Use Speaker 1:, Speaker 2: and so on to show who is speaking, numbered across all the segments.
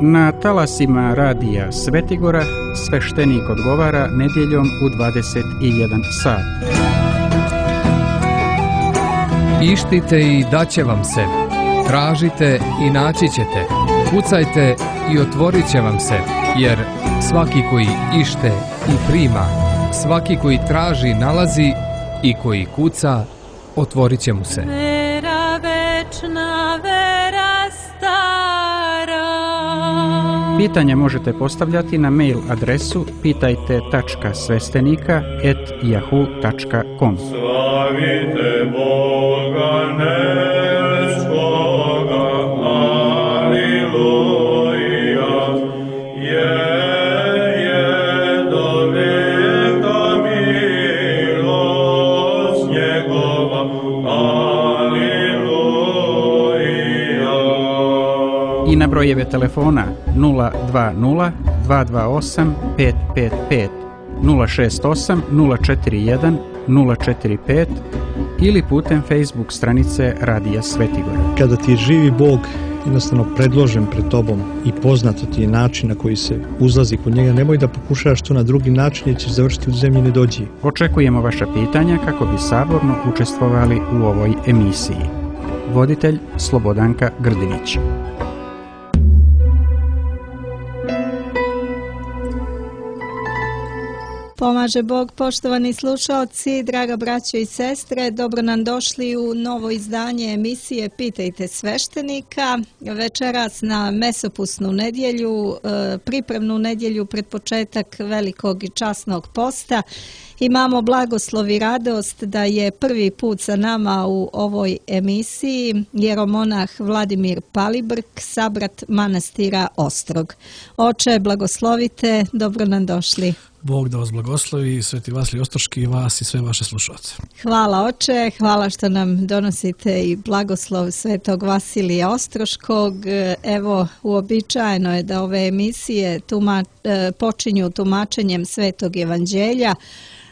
Speaker 1: Na talasima radija Svetigora sveštenik odgovara nedjeljom u 21 sat.
Speaker 2: Ištite i daće vam se. Tražite i naći ćete. Kucajte i otvorit će vam se. Jer svaki koji ište i prima, svaki koji traži nalazi i koji kuca, otvorit će mu se.
Speaker 3: Vera večna, vera stara.
Speaker 1: Pitanje možete postavljati na mail adresu pitajte.svestenika@yahoo.com.
Speaker 4: Slavite Boga nebeskoga, aleluja, je do veka milost njegova, aleluja.
Speaker 1: I na brojeve telefona 020 228 555, 068 041 045 ili putem Facebook stranice Radija Svetigora.
Speaker 5: Kada ti je živi Bog jednostavno predložen pred tobom i poznato ti je način na koji se uzlazi kod njega, nemoj da pokušavaš to na drugi način jer ćeš završiti u zemlji nedođi.
Speaker 1: Očekujemo vaša pitanja kako bi saborno učestvovali u ovoj emisiji. Voditelj Slobodanka Grdinić.
Speaker 6: Pomaže Bog, poštovani slušalci, draga braćo i sestre, dobro nam došli u novo izdanje emisije Pitajte sveštenika. Večeras na mesopusnu nedjelju, pripremnu nedjelju pred početak velikog i časnog posta, imamo blagoslov i radost da je prvi put sa nama u ovoj emisiji jeromonah Vladimir Palibrk, sabrat manastira Ostrog. Oče, blagoslovite, dobro nam došli.
Speaker 7: Bog da vas blagoslovi, Sveti Vasilij Ostroški i vas i sve vaše slušalce.
Speaker 6: Hvala oče, hvala što nam donosite i blagoslov Svetog Vasilija Ostroškog. Evo, uobičajeno je da ove emisije počinju tumačenjem Svetog Evanđelja.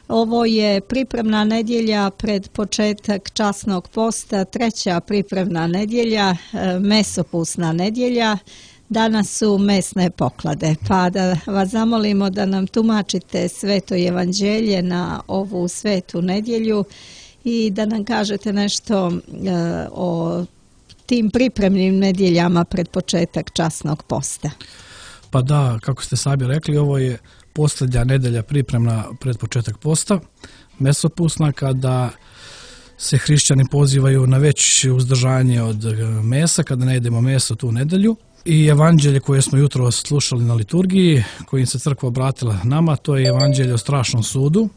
Speaker 6: Ovo je pripremna nedjelja pred početak časnog posta, treća pripremna nedjelja, mesopusna nedjelja. Danas su mesne poklade, pa da vas zamolimo da nam tumačite Sveto Evanđelje na ovu svetu nedjelju i da nam kažete nešto o tim pripremnim nedjeljama pred početak časnog posta.
Speaker 7: Pa da, kako ste sami rekli, ovo je posljednja nedjelja pripremna pred početak posta, mesopusna, kada se hrišćani pozivaju na veće uzdržanje od mesa, kada ne jedemo meso tu nedjelju. I evanđelje koje smo jutro slušali na liturgiji, kojim se crkva obratila nama, to je evanđelje o strašnom sudu,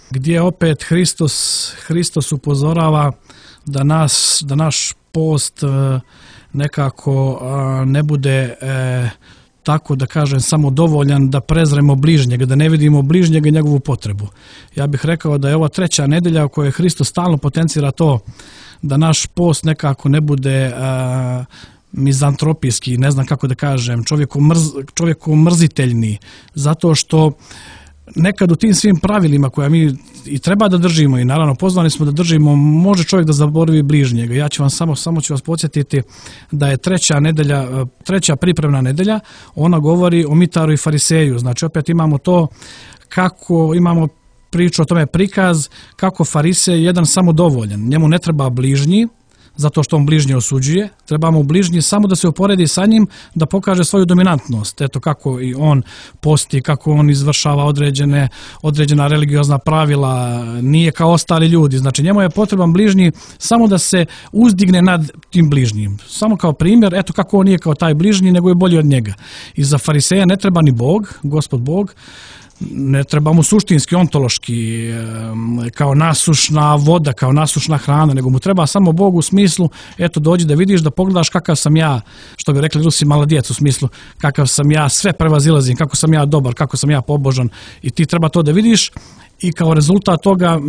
Speaker 7: gdje opet Hristos upozorava da naš post nekako ne bude tako da kažem samo dovoljan da prezremo bližnjega, da ne vidimo bližnjega i njegovu potrebu. Ja bih rekao da je ova treća nedjelja u kojoj Hristos stalno potencira to da naš post nekako ne bude mizantropijski, ne znam kako da kažem, čovjeku mrziteljni, zato što nekad u tim svim pravilima koja mi i treba da držimo i naravno pozvani smo da držimo, može čovjek da zaboravi bližnjega. Ja ću vam samo ću vas podsjetiti da je treća pripremna nedjelja, ona govori o mitaru i fariseju. Znači opet imamo to kako imamo priču o tome prikaz kako farisej je jedan samodovoljan, njemu ne treba bližnji, zato što on bližnje osuđuje, trebamo bližnji samo da se uporedi sa njim, da pokaže svoju dominantnost. Eto kako i on posti, kako on izvršava određena religiozna pravila, nije kao ostali ljudi. Znači njemu je potreban bližnji samo da se uzdigne nad tim bližnjim. Samo kao primjer, eto kako on nije kao taj bližnji, nego je bolji od njega. I za fariseja ne treba ni Bog, Gospod Bog, ne treba mu suštinski, ontološki, kao nasušna voda, kao nasušna hrana, nego mu treba samo Bog u smislu, eto dođi da vidiš, da pogledaš kakav sam ja, što bi rekli Rusi, maladijec, u smislu kakav sam ja, sve prevazilazim, kako sam ja dobar, kako sam ja pobožan i ti treba to da vidiš. I kao rezultat toga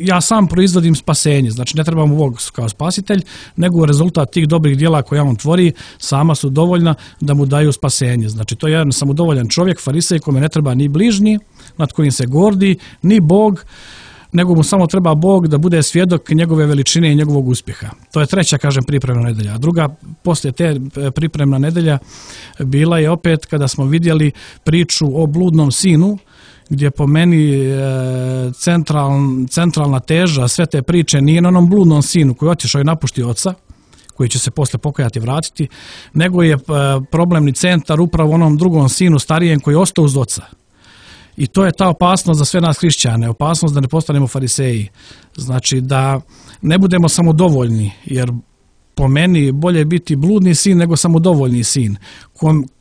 Speaker 7: ja sam proizvodim spasenje, znači ne treba mu Bog kao spasitelj, nego rezultat tih dobrih djela koje on tvori sama su dovoljna da mu daju spasenje. Znači to je jedan samodovoljan čovjek, farisej, kome ne treba ni bližnji, nad kojim se gordi, ni Bog, nego mu samo treba Bog da bude svjedok njegove veličine i njegovog uspjeha. To je treća, kažem, pripremna nedelja. A druga, poslije te pripremna nedelja, bila je opet kada smo vidjeli priču o bludnom sinu, gdje po meni centralna teža sve te priče nije na onom bludnom sinu koji je otišao i napuštio oca, koji će se poslije pokajati i vratiti, nego je problemni centar upravo onom drugom sinu starijem koji je ostao uz oca. I to je ta opasnost za sve nas hrišćane, opasnost da ne postanemo fariseji. Znači da ne budemo samodovoljni, jer po meni bolje biti bludni sin nego samodovoljni sin,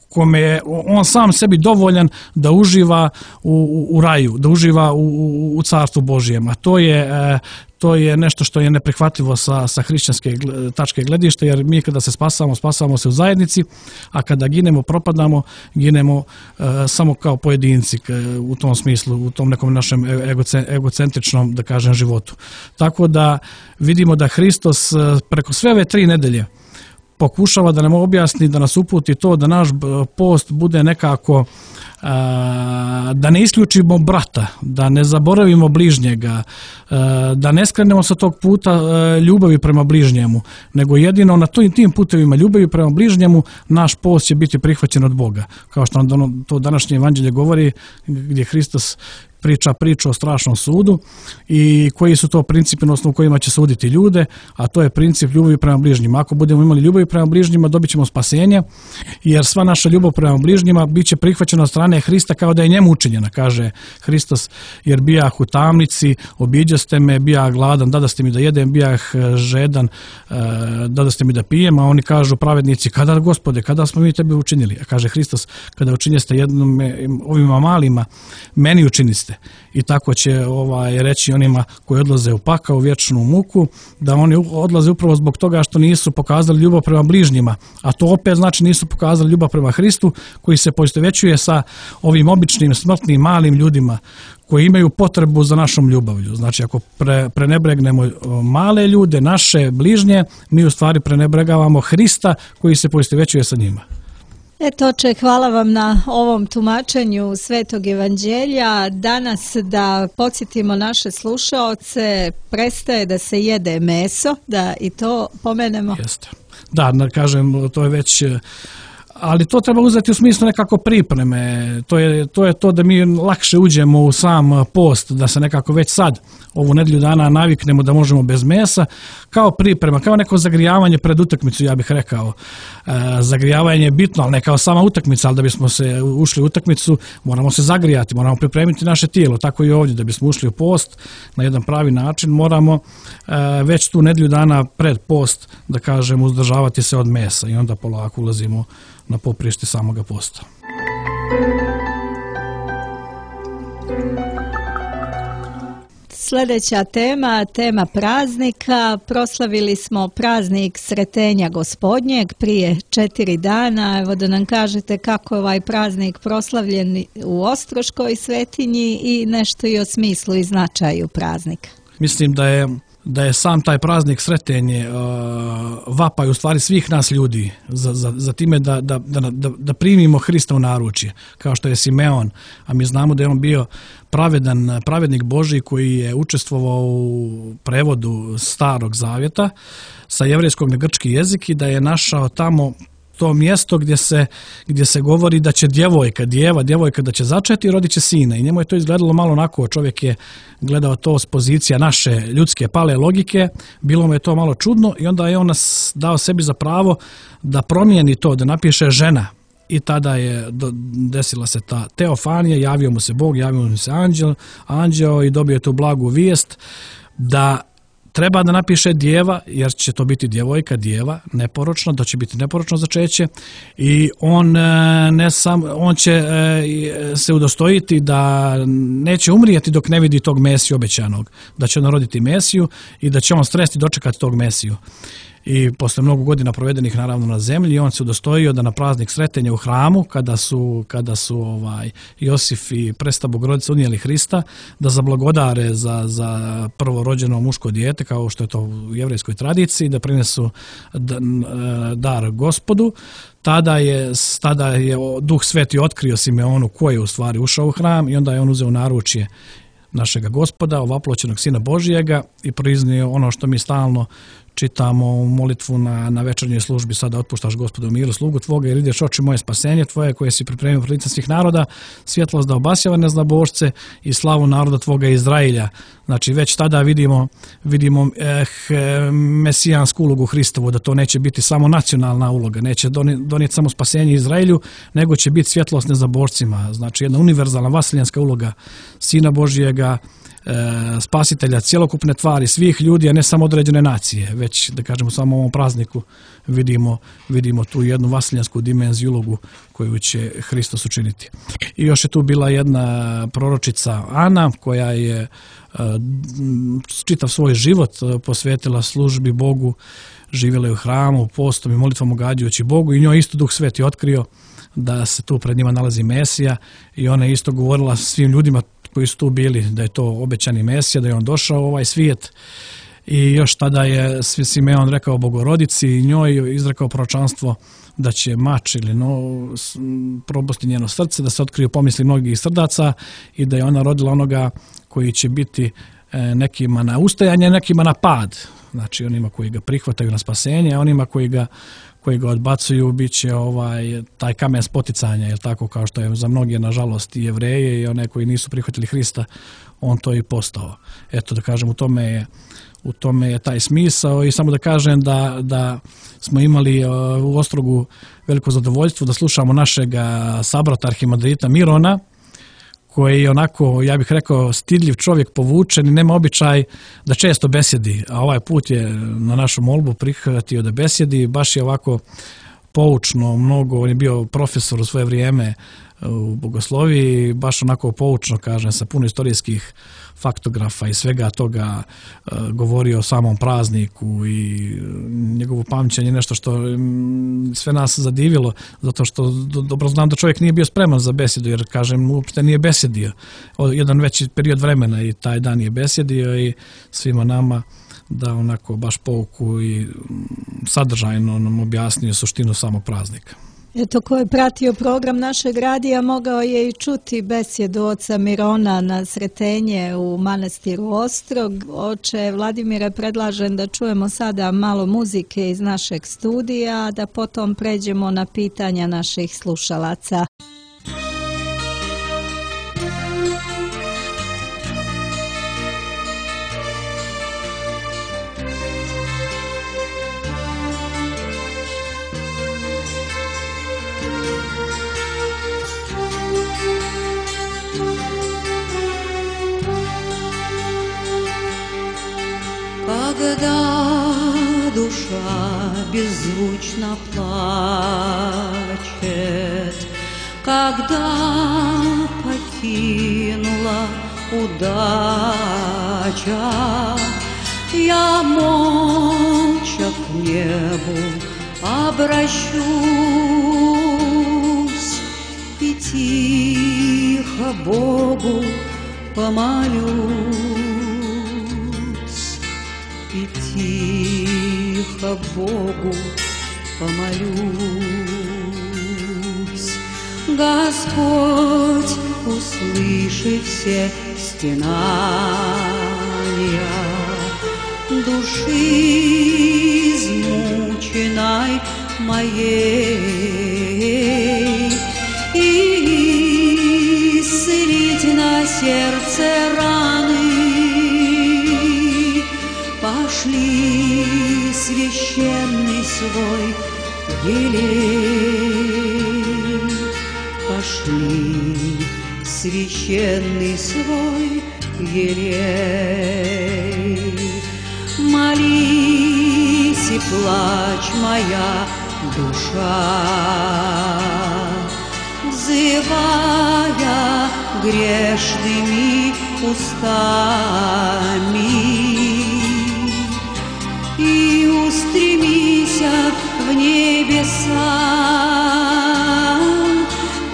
Speaker 7: kome je on sam sebi dovoljan da uživa u raju, da uživa u carstvu Božijem. A to je nešto što je neprihvatljivo sa hrišćanske tačke gledišta, jer mi kada se spasamo se u zajednici, a kada ginemo, propadamo, ginemo samo kao pojedinci u tom smislu, u tom nekom našem egocentričnom, da kažem, životu. Tako da vidimo da Hristos preko sve ove 3 nedelje pokušava da nam objasni, da nas uputi to da naš post bude nekako, da ne isključimo brata, da ne zaboravimo bližnjega, da ne skrenemo sa tog puta ljubavi prema bližnjemu, nego jedino na tim putevima ljubavi prema bližnjemu naš post će biti prihvaćen od Boga. Kao što nam to današnje evanđelje govori, gdje Hristos priča priču o strašnom sudu i koji su to principi na osnovu kojima će suditi ljude, a to je princip ljubavi prema bližnjima. Ako budemo imali ljubavi prema bližnjima, dobit ćemo spasenje, jer sva naša ljubav prema bližnjima bit će prihvaćena od strane Hrista kao da je njemu učinjena, kaže Hristos, jer bijah u tamnici, obiđaste me, bijah gladan, dadaste mi da jedem, bijah žedan, dadaste mi da pijem, a oni kažu pravednici, kada, Gospode, kada smo mi tebe učinili? A kaže Hristos, kada učinjeste jednom ovima malima, meni učiniste. I tako će reći onima koji odlaze u pakao, u vječnu muku, da oni odlaze upravo zbog toga što nisu pokazali ljubav prema bližnjima, a to opet znači nisu pokazali ljubav prema Hristu, koji se poistovjećuje sa ovim običnim, smrtnim, malim ljudima koji imaju potrebu za našom ljubavlju. Znači, ako prenebregnemo male ljude, naše bližnje, mi u stvari prenebregavamo Hrista koji se poistovjećuje sa njima.
Speaker 6: Eto, oče, hvala vam na ovom tumačenju Svetog evanđelja. Danas, da podsjetimo naše slušaoce, prestaje da se jede meso, da i to pomenemo.
Speaker 7: Jeste. Da, kažem, to je već, ali to treba uzeti u smislu nekako pripreme. To je to da mi lakše uđemo u sam post, da se nekako već sad ovu nedjelju dana naviknemo da možemo bez mesa, kao priprema, kao neko zagrijavanje pred utakmicu, ja bih rekao. Zagrijavanje je bitno, ali ne kao sama utakmica, ali da bismo se ušli u utakmicu, moramo se zagrijati, moramo pripremiti naše tijelo, tako i ovdje, da bismo ušli u post na jedan pravi način, moramo već tu nedjelju dana pred post, da kažem, uzdržavati se od mesa i onda polako ulazimo na poprište samoga posta.
Speaker 6: Sljedeća tema praznika. Proslavili smo praznik Sretenja Gospodnjeg prije 4 dana. Evo da nam kažete kako je ovaj praznik proslavljen u Ostroškoj svetinji i nešto i o smislu i značaju praznika.
Speaker 7: Mislim da je sam taj praznik Sretenje vapaj u stvari svih nas ljudi za time da primimo Hrista u naručje, kao što je Simeon, a mi znamo da je on bio pravednik Božji koji je učestvovao u prevodu Starog Zavjeta sa jevrejskog na grčki jezik i da je našao tamo to mjesto gdje se govori da će djevojka da će začeti i rodit će sina. I njemu je to izgledalo malo onako, čovjek je gledao to s pozicija naše ljudske pale logike, bilo mu je to malo čudno i onda je on nas dao sebi za pravo da promijeni to, da napiše žena. I tada je desila se ta teofanija, javio mu se Bog, javio mu se anđeo i dobio tu blagu vijest da treba da napiše djeva, jer će to biti djevojka, djeva, neporočno, da će biti neporočno začeće i on će se udostojiti da neće umrijeti dok ne vidi tog Mesiju obećanog, da će on roditi Mesiju i da će on stresti dočekati tog Mesiju. I posle mnogo godina provedenih naravno na zemlji, on se udostojio da na praznik Sretenja u hramu, kada su Josif i Presveta Bogorodica unijeli Hrista, da zablagodare za prvorođeno muško dijete, kao što je to u jevrejskoj tradiciji, da prinesu dar Gospodu. Tada je Duh Sveti otkrio Simeonu ko je u stvari ušao u hram i onda je on uzeo naručje našega Gospoda, ovaploćenog Sina Božijega i priznio ono što mi stalno čitamo u molitvu na večernjoj službi: sada otpuštaš Gospodu miru slugu tvoga jer ideš oči moje spasenje tvoje koje si pripremio pred licem svih naroda, svjetlost da obasjava neznabošce i slavu naroda tvoga Izrailja. Znači već tada vidimo mesijansku ulogu Hristovu, da to neće biti samo nacionalna uloga, neće donijeti samo spasenje Izraelju, nego će biti svjetlost neznabošcima. Znači jedna univerzalna vasiljanska uloga Sina Božijega, spasitelja cjelokupne tvari, svih ljudi, a ne samo određene nacije, već da kažemo samo u ovom prazniku vidimo tu jednu vasiljansku dimenziju, ulogu koju će Hristos učiniti. I još je tu bila jedna proročica Ana koja je čitav svoj život posvetila službi Bogu, živjela je u hramu, postom i molitvom ugađajući Bogu, i njoj isto Duh Sveti otkrio da se tu pred njima nalazi Mesija, i ona je isto govorila svim ljudima koji su tu bili da je to obećani Mesija, da je on došao u ovaj svijet. I još tada je Simeon rekao Bogorodici i njoj izrekao proročanstvo da će mač ili probosti njeno srce, da se otkriju pomisli mnogih srdaca i da je ona rodila onoga koji će biti nekima na ustajanje, nekima na pad. Znači onima koji ga prihvataju na spasenje, a onima koji ga odbacuju bit će taj kamen spoticanja, jer tako kao što je za mnoge nažalost i Jevreje i one koji nisu prihvatili Hrista, on to i postao. Eto da kažem, u tome je taj smisao. I samo da kažem da smo imali u Ostrogu veliko zadovoljstvo da slušamo našeg sabrata arhimandrita Mirona, koji je onako, ja bih rekao, stidljiv čovjek, povučen i nema običaj da često besjedi, a ovaj put je na našu molbu prihvatio da besjedi, baš je ovako poučno mnogo, on je bio profesor u svoje vrijeme u bogosloviji, baš onako poučno, kažem, sa puno istorijskih faktografa i svega toga govorio o samom prazniku, i njegovo pamćenje je nešto što sve nas zadivilo, zato što dobro znam da čovjek nije bio spreman za besjedu, jer kažem, uopšte nije besjedio jedan veći period vremena i taj dan je besjedio i svima nama da onako baš pouku i sadržajno nam objasnio suštinu samog praznika.
Speaker 6: Eto, ko je pratio program našeg radija mogao je i čuti besjedu oca Mirona na Sretenje u manastiru Ostrog. Oče Vladimire, predlažem da čujemo sada malo muzike iz našeg studija, da potom pređemo na pitanja naših slušalaca.
Speaker 3: Когда душа беззвучно плачет, когда покинула удача, я молча к небу обращусь и тихо Богу помолюсь. И тихо Богу помолюсь. Господь, услыши все стенания души измученной моей, и исцелить на сердце раны. Пошли священный свой елей, пошли священный свой елей. Молись и плачь, моя душа, взывая грешными устами. И устремися в небеса,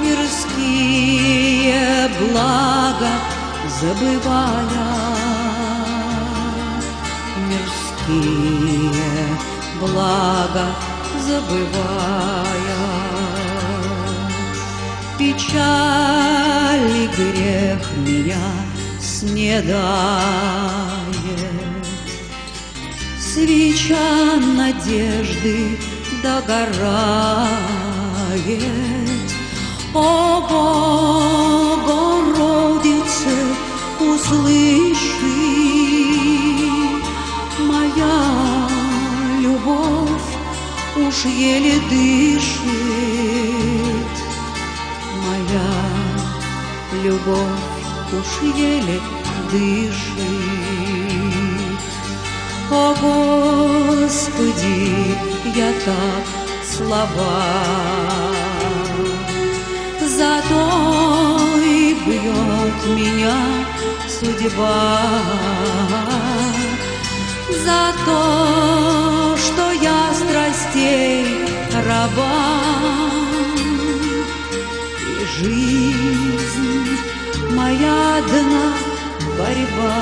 Speaker 3: мирские блага забывая, мирские блага забывая. Печаль и грех меня не дает. Свеча надежды догорает. О, Богородице, услыши, моя любовь уж еле дышит, моя любовь уж еле дышит. О, Господи, я так слаба, зато и бьет меня судьба, за то, что я страстей раба, и жизнь моя одна борьба,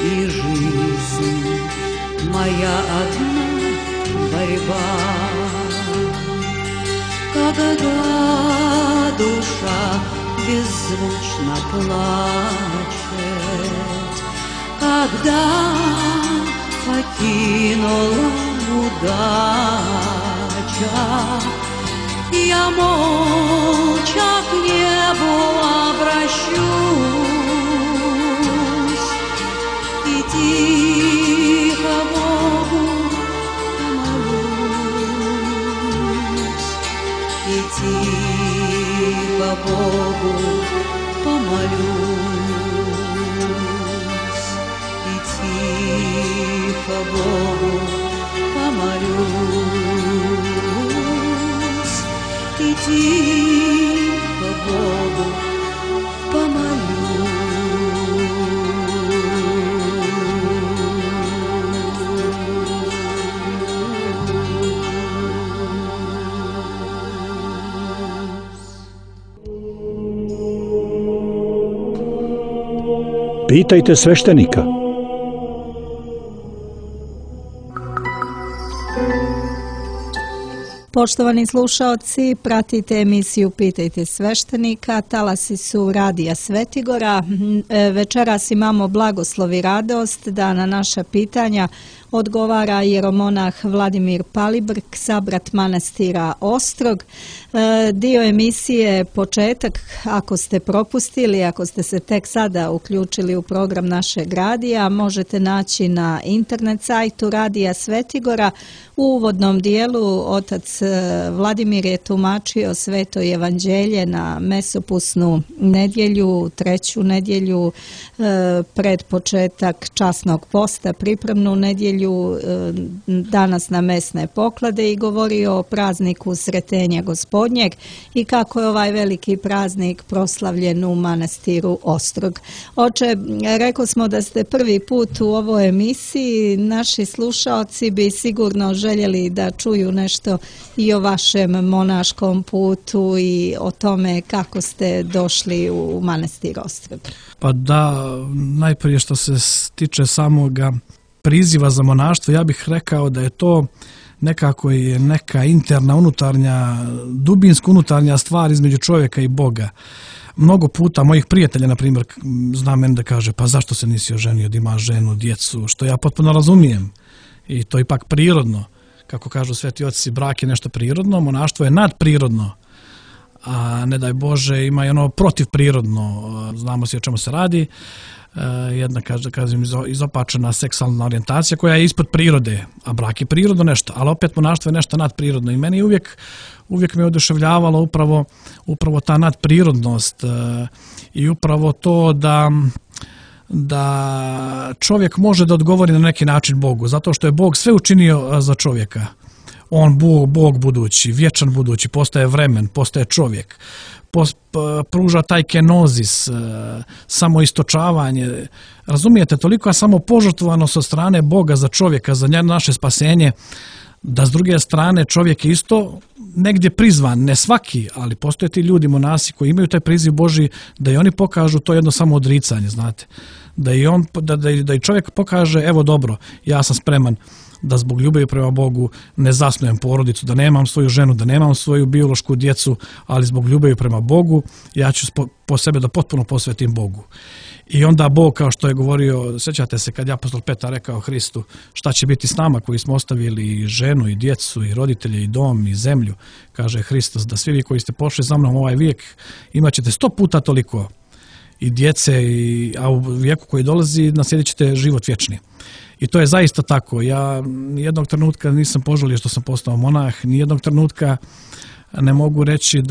Speaker 3: и жизнь моя одна борьба. Когда душа беззвучно плачет, когда покинула удача, я молча к небу обращусь и тихо Богу помолюсь, и тихо Богу помолюсь, и тихо Богу помолюсь, и тихо Богу помолюсь.
Speaker 8: Pitajte sveštenika.
Speaker 6: Poštovani slušaoci, pratite emisiju Pitajte sveštenika, talasi su Radija Svetigora. Večeras imamo blagoslov i radost da na naša pitanja odgovara jeromonah Vladimir Palibrk, sabrat manastira Ostrog. Dio emisije početak, ako ste propustili, ako ste se tek sada uključili u program našeg radija, možete naći na internet sajtu Radija Svetigora. U uvodnom dijelu otac Vladimir je tumačio Sveto evanđelje na mesopusnu nedjelju, treću nedjelju pred početak časnog posta, pripremnu nedjelju, danas na mesne poklade, i govorio o prazniku Sretenja Gospodnjeg i kako je ovaj veliki praznik proslavljen u manastiru Ostrog. Oče, rekao smo da ste prvi put u ovoj emisiji, naši slušaoci bi sigurno željeli da čuju nešto i o vašem monaškom putu i o tome kako ste došli u manastir Ostrog.
Speaker 7: Pa da, najprije što se tiče samoga priziva za monaštvo, ja bih rekao da je to nekako je neka interna, unutarnja, dubinsko unutarnja stvar između čovjeka i Boga. Mnogo puta mojih prijatelja, na primjer, zna meni da kaže, pa zašto se nisi oženio, da imaš ženu, djecu, što ja potpuno razumijem. I to je ipak prirodno. Kako kažu sveti oci, brak je nešto prirodno, monaštvo je nadprirodno. A ne daj Bože, ima i ono protivprirodno. Znamo se o čemu se radi. Jedna, kažem, izopačena seksualna orijentacija koja je ispod prirode, a brak je prirodno nešto, ali opet monaštvo je nešto nadprirodno. I meni uvijek me oduševljavalo upravo ta nadprirodnost i upravo to da čovjek može da odgovori na neki način Bogu, zato što je Bog sve učinio za čovjeka. On, Bog budući, vječan budući, postaje vremen, postaje čovjek, pruža taj kenozis, samoistočavanje. Razumijete, toliko je samopožrtvovanost od strane Boga za čovjeka, za naše spasenje, da s druge strane čovjek je isto negdje prizvan, ne svaki, ali postoje ti ljudi, monasi koji imaju taj priziv Božji, da i oni pokažu to jedno samo odricanje, znate. Da i čovjek pokaže, evo dobro, ja sam spreman da zbog ljubavi prema Bogu ne zasnujem porodicu, da nemam svoju ženu, da nemam svoju biološku djecu, ali zbog ljubavi prema Bogu ja ću po sebe da potpuno posvetim Bogu. I onda Bog, kao što je govorio, sjećate se kad je apostol Petar rekao Hristu, šta će biti s nama koji smo ostavili i ženu i djecu i roditelje i dom i zemlju, kaže Hristos, da svi vi koji ste pošli za mnom ovaj vijek imat ćete 100 puta toliko i djece, a u vijeku koji dolazi naslijedit ćete život vječni. I to je zaista tako. Ja nijednog trenutka nisam požalio što sam postao monah, nijednog trenutka ne mogu reći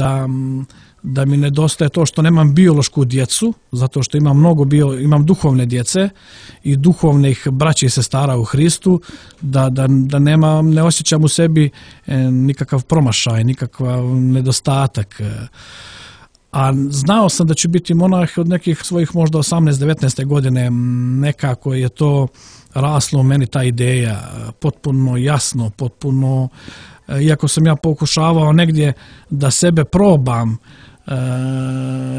Speaker 7: da mi nedostaje to što nemam biološku djecu, zato što imam duhovne djece i duhovnih braća i sestara u Hristu, da ne osjećam u sebi nikakav promašaj, nikakav nedostatak. A znao sam da ću biti monah od nekih svojih možda 18-19 godine, nekako je to raslo u meni ta ideja, potpuno jasno, potpuno, iako sam ja pokušavao negdje da sebe probam,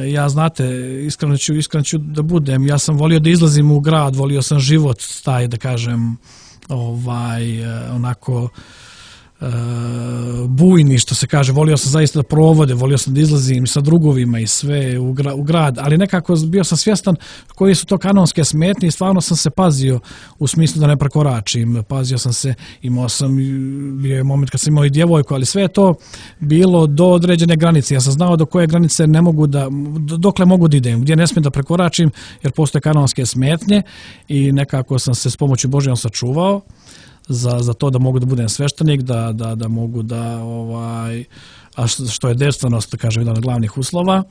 Speaker 7: ja znate, iskreno ću da budem, ja sam volio da izlazim u grad, volio sam život taj, da kažem, onako bujni, što se kaže, volio sam zaista da provode, volio sam da izlazim sa drugovima i sve u grad, ali nekako bio sam svjestan koji su to kanonske smetnje i stvarno sam se pazio u smislu da ne prekoračim, pazio sam se, bio je moment kad sam imao i djevojku, ali sve je to bilo do određene granice, ja sam znao do koje granice ne mogu dokle mogu da idem, gdje ne smijem da prekoračim, jer postoje kanonske smetnje i nekako sam se s pomoću Božjom sačuvao za to da mogu da budem sveštenik, da mogu da, a što je devstvenost, da kažem, jedan od glavnih uslova.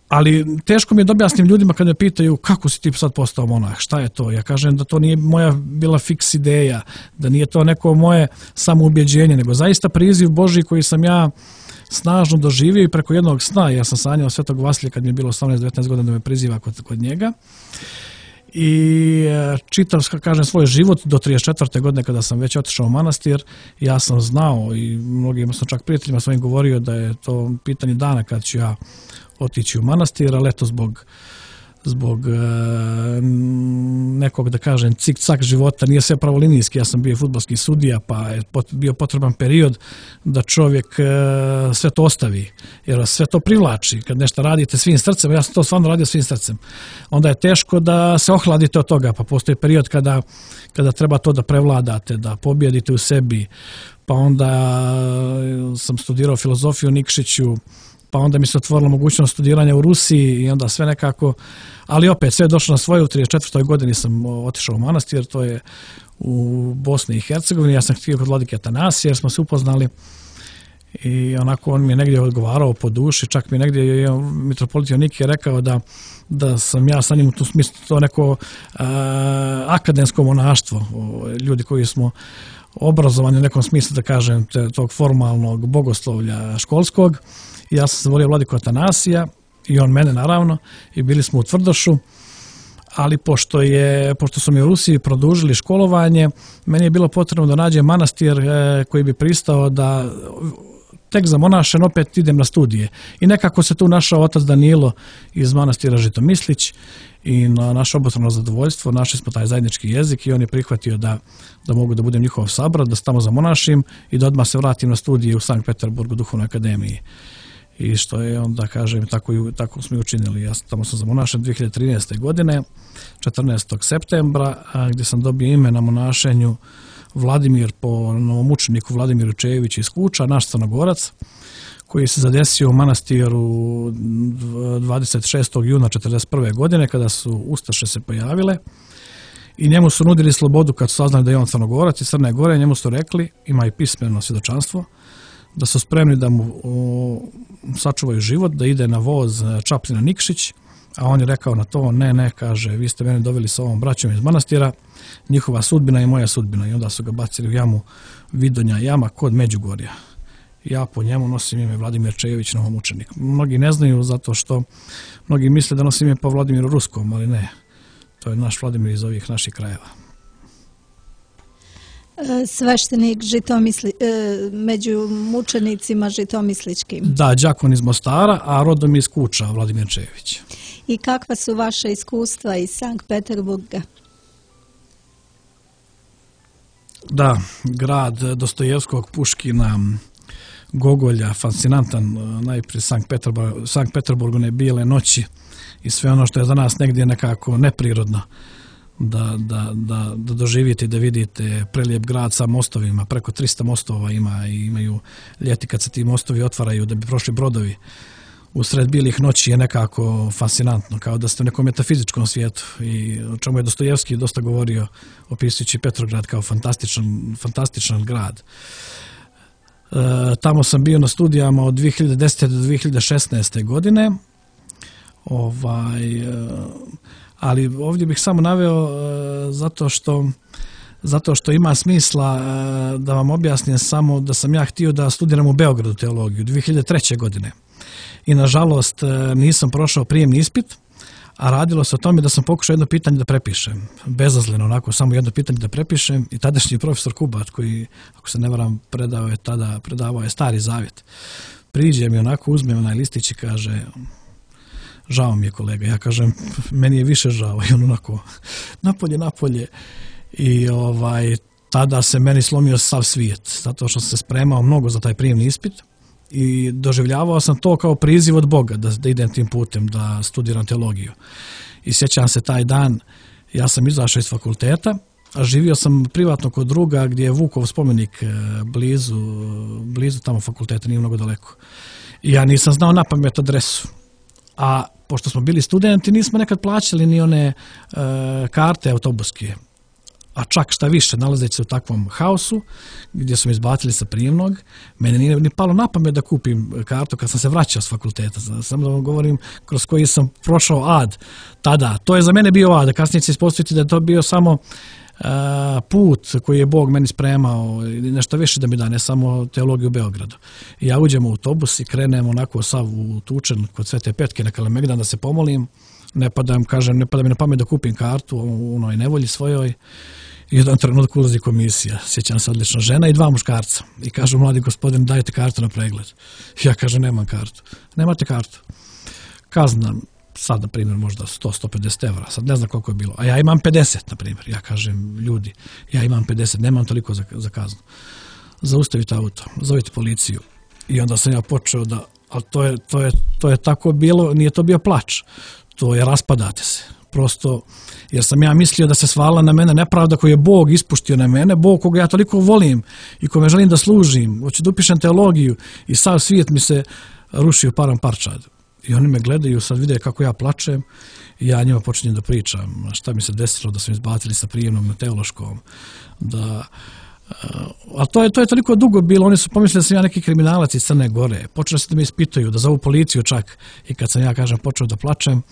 Speaker 7: Ali teško mi je da objasnim ljudima kad me pitaju kako si ti sad postao monah, šta je to? Ja kažem da to nije moja bila fiks ideja, da nije to neko moje samoubjeđenje, nego zaista priziv Božji koji sam ja snažno doživio i preko jednog sna. Ja sam sanjao Svetog Vasilija kad mi je bilo 18-19 godina da me priziva kod njega. I čitav, kažem, svoj život do 34. godine kada sam već otišao u manastir, ja sam znao i mnogim sam čak prijateljima svojim govorio da je to pitanje dana kad ću ja otići u manastir, ali eto zbog nekog, da kažem, cik-cak života, nije sve pravolinijski, ja sam bio fudbalski sudija, pa je bio potreban period da čovjek sve to ostavi, jer sve to privlači, kad nešto radite svim srcem, ja sam to stvarno radio svim srcem, onda je teško da se ohladite od toga, pa postoji period kada treba to da prevladate, da pobjedite u sebi, pa onda sam studirao filozofiju u Nikšiću, pa onda mi se otvorila mogućnost studiranja u Rusiji i onda sve nekako, ali opet sve je došlo na svoje. U 34. godini sam otišao u manastir, to je u Bosni i Hercegovini, ja sam htio kod vladike Atanasija jer smo se upoznali i onako on mi je negdje odgovarao po duši, čak mi je negdje mitropolit Jonikije rekao da sam ja sa njim u tu smislu to neko akademsko monaštvo, ljudi koji smo obrazovani u nekom smislu, da kažem, tog formalnog bogoslovlja školskog. Ja sam zavolio vladiku Atanasija i on mene naravno i bili smo u Tvrdošu, ali pošto su mi u Rusiji produžili školovanje, meni je bilo potrebno da nađem manastir koji bi pristao da tek za monašen opet idem na studije. I nekako se tu našao otac Danilo iz manastira Žitomislić i na naše obostrano zadovoljstvo našli smo taj zajednički jezik i on je prihvatio da mogu da budem njihov sabrat, da se tamo zamonašim i da odmah se vratim na studije u Sankt Peterburgu Duhovnoj akademiji. I što je onda, kažem, tako smo i učinili. Ja tamo sam zamonašen 2013. godine, 14. septembra, gdje sam dobio ime na monašenju Vladimir po novomučeniku Vladimiru Čejeviću iz Kuča, naš Crnogorac, koji se zadesio u manastiru 26. juna 1941. godine kada su Ustaše se pojavile i njemu su nudili slobodu kad su saznali da je on Crnogorac iz Crne Gore, njemu su rekli, ima i pismeno svjedočanstvo, da su spremni da mu sačuvaju život, da ide na voz Čapljina Nikšić, a on je rekao na to, ne, kaže, vi ste mene doveli sa ovom braćom iz manastira, njihova sudbina i moja sudbina. I onda su ga bacili u jamu Vidonja jama kod Međugorja. Ja po njemu nosim ime Vladimir Čejević, novomučenik. Mnogi ne znaju zato što mnogi misle da nosim ime po Vladimiru Ruskom, ali ne. To je naš Vladimir iz ovih naših krajeva.
Speaker 6: Sveštenik među mučenicima žitomisličkim.
Speaker 7: Da, đakon iz Mostara, a rodom iz Kuča, Vladimir Čejević.
Speaker 6: I kakva su vaše iskustva iz Sankt Peterburga?
Speaker 7: Da, grad Dostojevskog, Puškina, Gogolja, fascinantan, najprije Sankt Peterburg, one bijele noći i sve ono što je za nas negdje nekako neprirodno da doživite i da vidite prelijep grad sa mostovima, preko 300 mostova ima i imaju ljeti kad se ti mostovi otvaraju da bi prošli brodovi usred bilih noći je nekako fascinantno, kao da ste u nekom metafizičkom svijetu i o čemu je Dostojevski dosta govorio opisujući Petrograd kao fantastičan grad. Tamo sam bio na studijama od 2010. do 2016. godine, ali ovdje bih samo naveo zato što ima smisla da vam objasnim samo da sam ja htio da studiram u Beogradu teologiju 2003. godine. I nažalost nisam prošao prijemni ispit, a radilo se o tome da sam pokušao jedno pitanje da prepišem. Bezazleno, onako, samo jedno pitanje da prepišem i tadašnji profesor Kubat, koji, ako se ne varam, predavao je Stari Zavjet. Priđe mi onako, uzme onaj listić i kaže, žao mi je kolega. Ja kažem, meni je više žao. I on onako, napolje. I tada se meni slomio sav svijet, zato što sam se spremao mnogo za taj prijemni ispit. I doživljavao sam to kao priziv od Boga da idem tim putem, da studiram teologiju. I sjećam se taj dan, ja sam izašao iz fakulteta, a živio sam privatno kod druga gdje je Vukov spomenik blizu tamo fakulteta, nije mnogo daleko. I ja nisam znao na pamet adresu. A pošto smo bili studenti, nismo nekad plaćali ni one karte autobuske. A čak šta više, nalazeći se u takvom haosu, gdje su me izbacili sa prijemnog, meni nije ni palo na pamet da kupim kartu kad sam se vraćao s fakulteta. Samo da vam govorim kroz koji sam prošao ad tada. To je za mene bio ad, a kasnije će se ispostaviti da je to bio samo put koji je Bog meni spremao i nešto više da mi da, ne samo teologiju u Beogradu. I ja uđem u autobus i krenem onako sav utučen kod Svete Petke na Kalemegdan da se pomolim. Ne pada mi na pamet da kupim kartu u onoj nevolji svojoj. I jedan trenutak ulazi komisija, sjećam se odlično, žena i 2 muškarca. I kažu, mladi gospodin, dajte kartu na pregled. Ja kažem, nemam kartu. Nemate kartu. Kazna, sad na primjer možda 100-150 evra, sad ne znam koliko je bilo. A ja imam 50 na primjer. Ja kažem, ljudi, ja imam 50, nemam toliko za kaznu. Zaustavite auto, zovite policiju. I onda sam ja počeo da, ali to je tako bilo, nije to bio plač. To je raspadate se. Prosto, jer sam ja mislio da se svala na mene nepravda koju je Bog ispuštio na mene, Bog koga ja toliko volim i kome želim da služim, hoću da upišem teologiju i sav svijet mi se rušio param parčad. I oni me gledaju, sad vide kako ja plačem i ja njima počinjem da pričam šta mi se desilo, da su me izbacili sa prijemnom na teološkom, ali to je toliko dugo bilo, oni su pomislili da sam ja neki kriminalac iz Crne Gore, počeli su da me ispituju, da zovu policiju čak i kad sam ja, kažem, počeo da plačem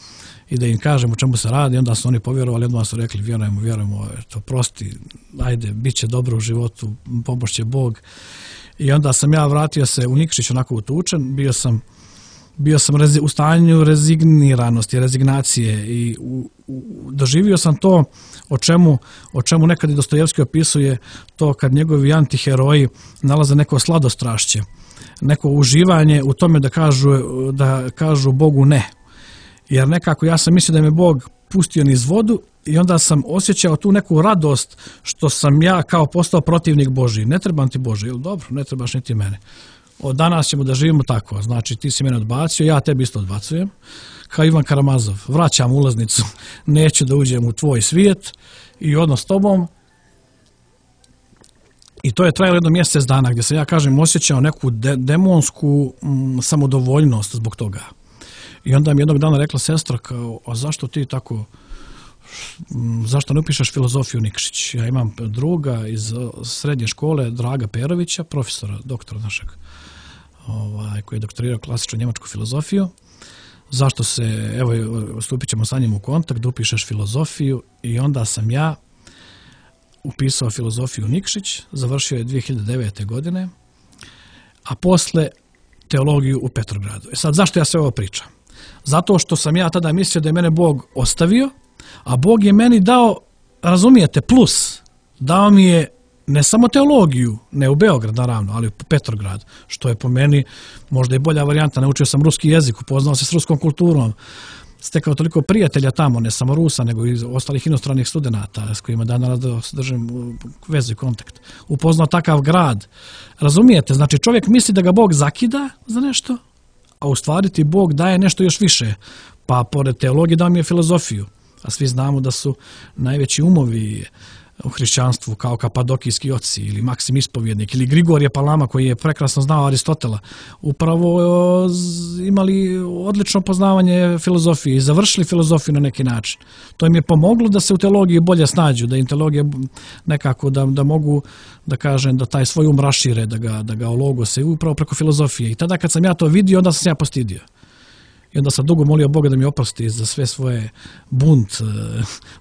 Speaker 7: i da im kažem o čemu se radi, onda su oni povjerovali, odmah su rekli vjerujemo, to prosti, ajde, bit će dobro u životu, pomošće Bog. I onda sam ja vratio se u Nikšić onako utučen, bio sam u stanju rezigniranosti, rezignacije i doživio sam to o čemu nekad i Dostojevski opisuje, to kad njegovi antiheroji nalaze neko sladostrašće, neko uživanje u tome da kažu Bogu ne. Jer nekako ja sam mislio da me Bog pustio niz vodu i onda sam osjećao tu neku radost što sam ja kao postao protivnik Božji. Ne trebam ti Bože, ili dobro, ne trebaš niti mene. Od danas ćemo da živimo tako, znači ti si mene odbacio, ja tebi isto odbacujem. Kao Ivan Karamazov, vraćam ulaznicu, neću da uđem u tvoj svijet i odnos s tobom. I to je trajalo jedno mjesec dana gdje sam ja, kažem, osjećao neku demonsku samodovoljnost zbog toga. I onda mi jednog dana rekla sestra kao, a zašto ti tako, zašto ne upišeš filozofiju Nikšić? Ja imam druga iz srednje škole, Draga Perovića, profesora, doktora našeg, koji je doktorirao klasičnu njemačku filozofiju. Zašto se, evo, stupit ćemo sa njim u kontakt, da upišeš filozofiju i onda sam ja upisao filozofiju Nikšić, završio je 2009. godine, a posle teologiju u Petrogradu. Sad, zašto ja sve ovo pričam? Zato što sam ja tada mislio da je mene Bog ostavio, a Bog je meni dao, razumijete, plus, dao mi je ne samo teologiju, ne u Beograd naravno, ali u Petrograd, što je po meni možda i bolja varijanta. Naučio sam ruski jezik, upoznao se s ruskom kulturom, stekao toliko prijatelja tamo, ne samo Rusa, nego i ostalih inostranih studenata s kojima danas držim vezu i kontakt. Upoznao takav grad. Razumijete? Znači čovjek misli da ga Bog zakida za nešto, a u stvari ti Bog daje nešto još više. Pa pored teologije dao mi je filozofiju. A svi znamo da su najveći umovi u hrišćanstvu kao kapadokijski oci ili Maksim Ispovjednik ili Grigorije Palama koji je prekrasno znao Aristotela, upravo imali odlično poznavanje filozofije i završili filozofiju na neki način. To im je pomoglo da se u teologiji bolje snađu, da im teologija nekako da mogu da kažem da taj svoj rašire, da ga ologose upravo preko filozofije. I tada kad sam ja to vidio, onda sam se ja postidio. I onda sam dugo molio Boga da mi oprosti za sve svoje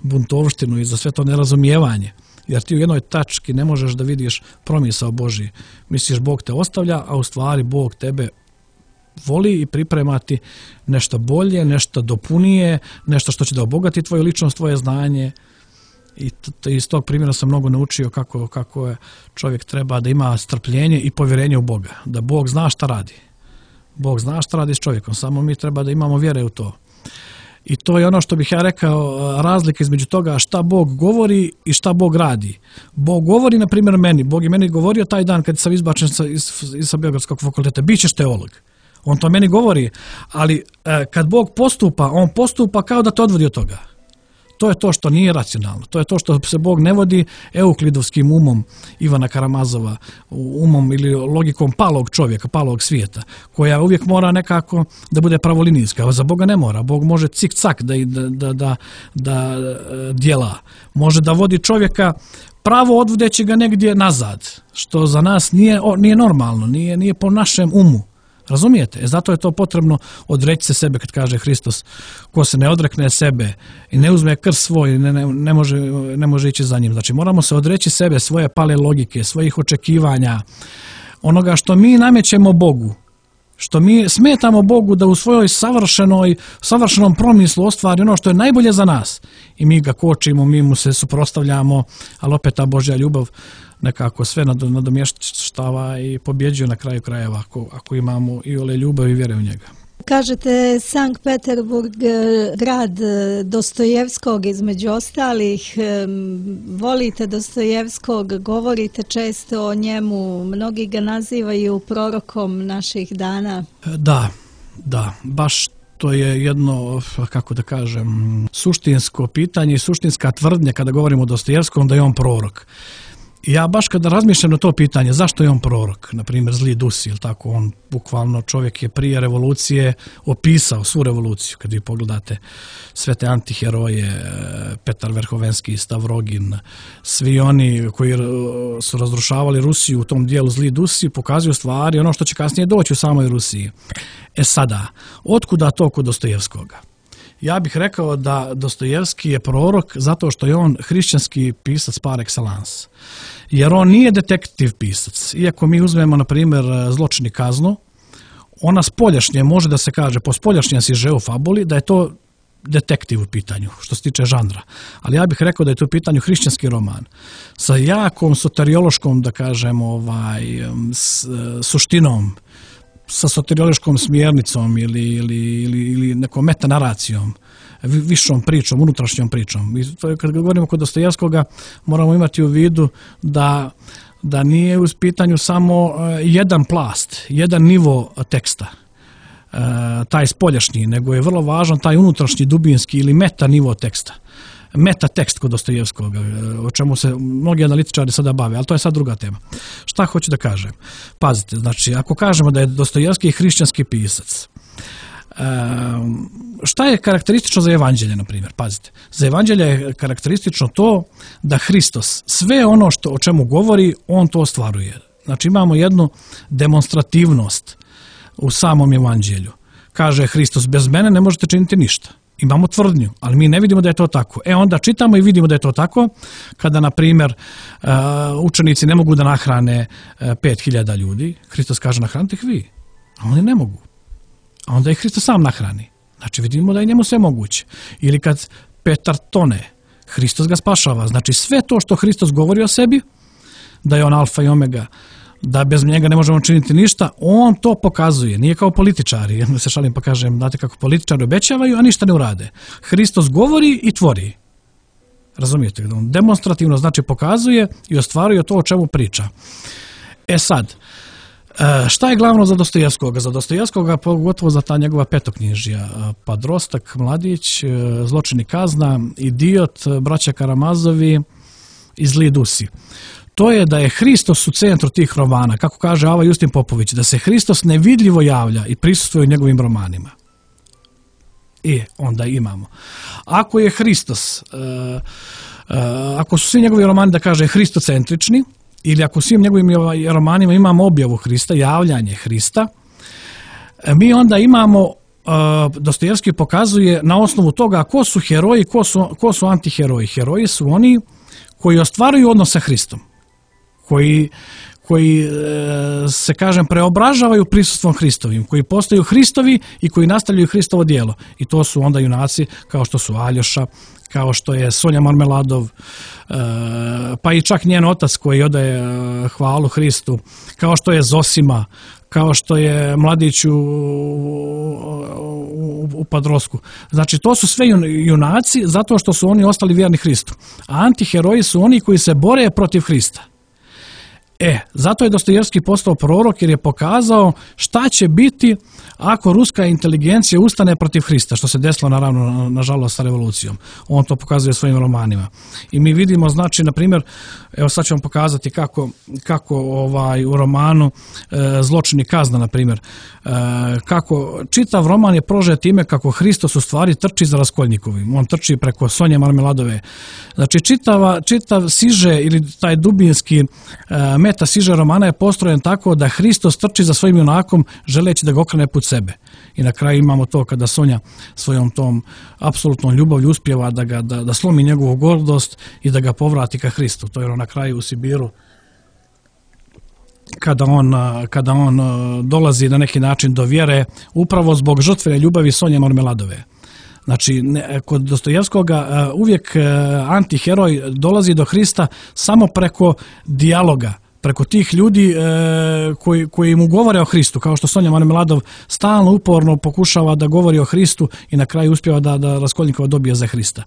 Speaker 7: buntovštinu i za sve to nerazumijevanje. Jer ti u jednoj tački ne možeš da vidiš promisao Božji. Misliš Bog te ostavlja, a u stvari Bog tebe voli i priprema ti nešto bolje, nešto dopunije, nešto što će da obogati tvoju ličnost, tvoje znanje. I iz tog primjera sam mnogo naučio kako je čovjek treba da ima strpljenje i povjerenje u Boga. Da Bog zna šta radi. Bog zna šta radi s čovjekom, samo mi treba da imamo vjere u to. I to je ono što bih ja rekao, razlika između toga šta Bog govori i šta Bog radi. Bog govori, na primjer, meni. Bog je meni govorio taj dan kad sam izbačen sa Beogradskog fakulteta, bit ćeš teolog. On to meni govori, ali kad Bog postupa, on postupa kao da te odvodi od toga. To je to što nije racionalno. To je to što se Bog ne vodi euklidovskim umom Ivana Karamazova, umom ili logikom palog čovjeka, palog svijeta, koja uvijek mora nekako da bude pravolinijska. A za Boga ne mora. Bog može cik-cak da djela. Može da vodi čovjeka pravo odvodeći ga negdje nazad, što za nas nije normalno, nije po našem umu. Razumijete? Zato je to potrebno odreći se sebe, kad kaže Hristos, ko se ne odrekne sebe i ne uzme krst svoj, ne može ići za njim. Znači moramo se odreći sebe, svoje pale logike, svojih očekivanja, onoga što mi namećemo Bogu, što mi smetamo Bogu da u svojoj savršenom promislu ostvari ono što je najbolje za nas. I mi ga kočimo, mi mu se suprotstavljamo, ali opet ta Božja ljubav nekako sve nadomještava i pobjeđuje na kraju krajeva ako imamo i ole ljubav i vjere u njega.
Speaker 6: Kažete Sankt Peterburg, grad Dostojevskog između ostalih, volite Dostojevskog, govorite često o njemu, mnogi ga nazivaju prorokom naših dana.
Speaker 7: Da, baš to je jedno, kako da kažem, suštinsko pitanje i suštinska tvrdnja kada govorimo o Dostojevskom da je on prorok. Ja baš kada razmišljam na to pitanje, zašto je on prorok, na primjer zli Dusi, ili tako, on bukvalno čovjek je prije revolucije opisao svu revoluciju, kad vi pogledate sve te antiheroje, Petar Verhovenski, Stavrogin, svi oni koji su razrušavali Rusiju u tom dijelu zli Dusi, pokazuju stvari ono što će kasnije doći u samoj Rusiji. Sada, otkuda to kod Dostojevskoga? Ja bih rekao da Dostojevski je prorok zato što je on hrišćanski pisac par excellence. Jer on nije detektiv pisac. Iako mi uzmemo, na primjer, Zločin i kaznu, ona spoljašnje, može da se kaže, po spoljašnjem sižeu fabuli, da je to detektiv u pitanju, što se tiče žanra. Ali ja bih rekao da je to u pitanju hrišćanski roman. Sa jakom soteriološkom, da kažem, suštinom, sa soteriološkom smjernicom ili nekom metanaracijom, višom pričom, unutrašnjom pričom. I kad govorimo kod Dostojevskoga, moramo imati u vidu da nije u pitanju samo jedan plast, jedan nivo teksta, taj spoljašnji, nego je vrlo važan taj unutrašnji, dubinski ili meta nivo teksta. Metatekst kod Dostojevskog, o čemu se mnogi analitičari sada bave, ali to je sad druga tema. Šta hoću da kažem? Pazite, znači, ako kažemo da je Dostojevski hrišćanski pisac, šta je karakteristično za evanđelje, na primjer? Pazite, za evanđelje je karakteristično to da Hristos sve ono o čemu govori, on to ostvaruje. Znači, imamo jednu demonstrativnost u samom evanđelju. Kaže Hristos, bez mene ne možete činiti ništa. Imamo tvrdnju, ali mi ne vidimo da je to tako. Onda čitamo i vidimo da je to tako kada, na primjer, učenici ne mogu da nahrane 5000 ljudi. Hristos kaže, nahranite ih vi, a oni ne mogu. A onda ih Hristos sam nahrani. Znači vidimo da je njemu sve moguće. Ili kad Petar tone, Hristos ga spašava. Znači sve to što Hristos govori o sebi, da je on alfa i omega, da bez njega ne možemo činiti ništa, on to pokazuje. Nije kao političari, ja se šalim pa kažem, znate kako političari obećavaju, a ništa ne urade. Hristos govori i tvori. Razumijete? On demonstrativno znači pokazuje i ostvaruje to o čemu priča. Sad, šta je glavno za Dostojevskoga? Za Dostojevskoga, pogotovo za ta njegova petoknjižja, Padrostak, Mladić, Zločin i kazna, Idiot, Braća Karamazovi i Zli dusi. To je da je Hristos u centru tih romana, kako kaže Ava Justin Popović, da se Hristos nevidljivo javlja i prisustvuje u njegovim romanima. Onda imamo. Ako je Hristos, ako su svi njegovi romani, da kaže, hristocentrični, ili ako u svim njegovim romanima imamo objavu Hrista, javljanje Hrista, mi onda imamo, Dostojevski pokazuje na osnovu toga ko su heroji, ko su antiheroji. Heroji su oni koji ostvaruju odnos sa Hristom, koji se, kažem, preobražavaju prisustvom Hristovim, koji postaju Hristovi i koji nastavljaju Hristovo djelo. I to su onda junaci kao što su Aljoša, kao što je Sonja Marmeladov, pa i čak njen otac koji odaje hvalu Hristu, kao što je Zosima, kao što je Mladić u Padrosku. Znači, to su sve junaci zato što su oni ostali vjerni Hristu. A antiheroji su oni koji se bore protiv Hrista. Zato je Dostojevski postao prorok jer je pokazao šta će biti ako ruska inteligencija ustane protiv Hrista, što se desilo naravno nažalost sa revolucijom. On to pokazuje svojim romanima. I mi vidimo, znači, na primjer, evo sad ću vam pokazati kako u romanu Zločin i kazna, na primjer, kako čitav roman je prožet time kako Hristos u stvari trči za Raskolnikovim. On trči preko Sonje Marmeladove. Znači, čitav siže ili taj dubinski meta siže romana je postrojen tako da Hristos trči za svojim junakom želeći da ga okrene put sebe. I na kraju imamo to kada Sonja svojom tom apsolutnom ljubavlju uspijeva da slomi njegovu gordost i da ga povrati ka Hristu. To je na kraju u Sibiru kada on dolazi na neki način do vjere upravo zbog žrtvene ljubavi Sonje Marmeladove. Znači, kod Dostojevskoga uvijek antiheroj dolazi do Hrista samo preko dijaloga, preko tih ljudi koji mu govore o Hristu, kao što Sonja Marmeladov stalno uporno pokušava da govori o Hristu i na kraju uspijeva da Raskolnikova dobije za Hrista.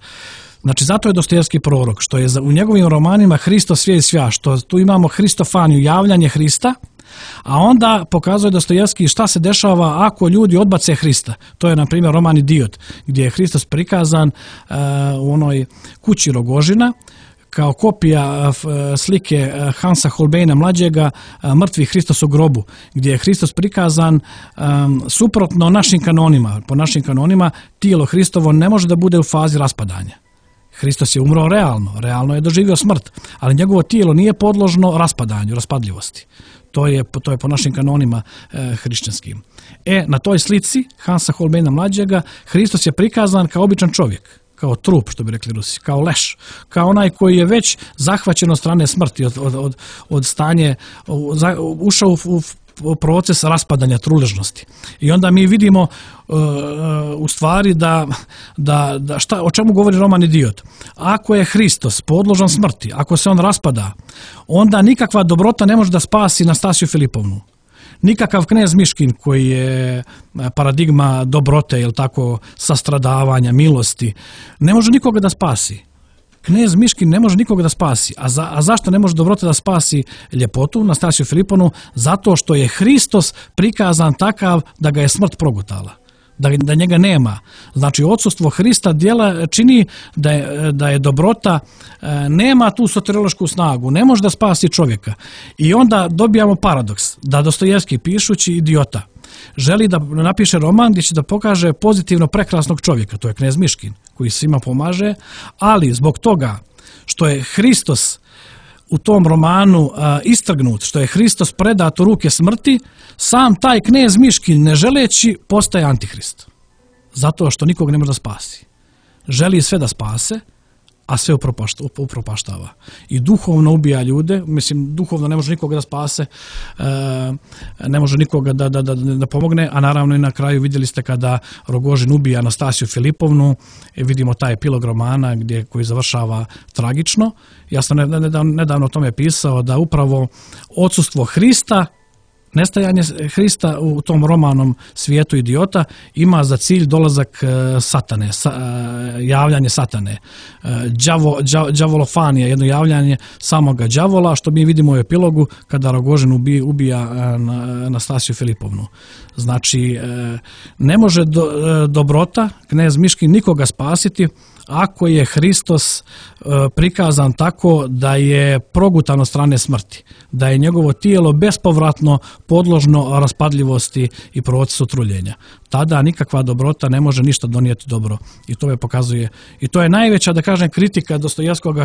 Speaker 7: Znači, zato je Dostojevski prorok, što je u njegovim romanima Hristo sve i svja, što tu imamo hristofaniju, javljanje Hrista, a onda pokazuje Dostojevski šta se dešava ako ljudi odbace Hrista. To je, na primjer, roman Idiot, gdje je Hristos prikazan u onoj kući Rogožina, kao kopija slike Hansa Holbeina mlađega, Mrtvi Hristos u grobu, gdje je Hristos prikazan suprotno našim kanonima. Po našim kanonima tijelo Hristovo ne može da bude u fazi raspadanja. Hristos je umro realno je doživio smrt, ali njegovo tijelo nije podložno raspadanju, raspadljivosti. To je po našim kanonima hrišćanskim. Na toj slici Hansa Holbeina mlađega Hristos je prikazan kao običan čovjek, kao trup, što bi rekli Rusi, kao leš, kao onaj koji je već zahvaćen od strane smrti, od stanje, ušao u proces raspadanja, truležnosti. I onda mi vidimo u stvari o čemu govori roman Idiot. Ako je Hristos podložan smrti, ako se on raspada, onda nikakva dobrota ne može da spasi Nastasiju Filipovnu. Nikakav knez Miškin koji je paradigma dobrote, jel tako, sastradavanja, milosti, ne može nikoga da spasi. Knez Miškin ne može nikoga da spasi. A zašto ne može dobrota da spasi ljepotu, Nastasiju Filipovnu? Zato što je Hristos prikazan takav da ga je smrt progutala. Da njega nema. Znači, odsustvo Hrista djela čini da je dobrota, nema tu soteriološku snagu, ne može da spasi čovjeka. I onda dobijamo paradoks, da Dostojevski, pišući Idiota, želi da napiše roman gdje će da pokaže pozitivno prekrasnog čovjeka, to je knez Miškin, koji svima pomaže, ali zbog toga što je Hristos u tom romanu istrgnut, što je Hristos predat u ruke smrti, sam taj knez Miškin, ne želeći, postaje antihrist. Zato što nikog ne može da spasi. Želi sve da spase, a sve upropaštava. I duhovno ubija ljude, mislim, duhovno ne može nikoga da spase, ne može nikoga da pomogne, a naravno i na kraju vidjeli ste kada Rogožin ubija Anastasiju Filipovnu, vidimo taj epilog romana koji završava tragično. Ja sam nedavno o tome pisao da upravo odsustvo Hrista, nestajanje Hrista u tom romanom Svijetu idiota ima za cilj dolazak satane, javljanje satane, đavolofanija, jedno javljanje samoga đavola, što mi vidimo u epilogu kada Rogožin ubija Anastasiju Filipovnu. Znači, ne može dobrota, knez Miškin, nikoga spasiti ako je Hristos prikazan tako da je progutan od strane smrti, da je njegovo tijelo bespovratno podložno raspadljivosti i procesu truljenja. Tada nikakva dobrota ne može ništa donijeti dobro. I to je pokazuje. I to je najveća, da kažem, kritika Dostojevskog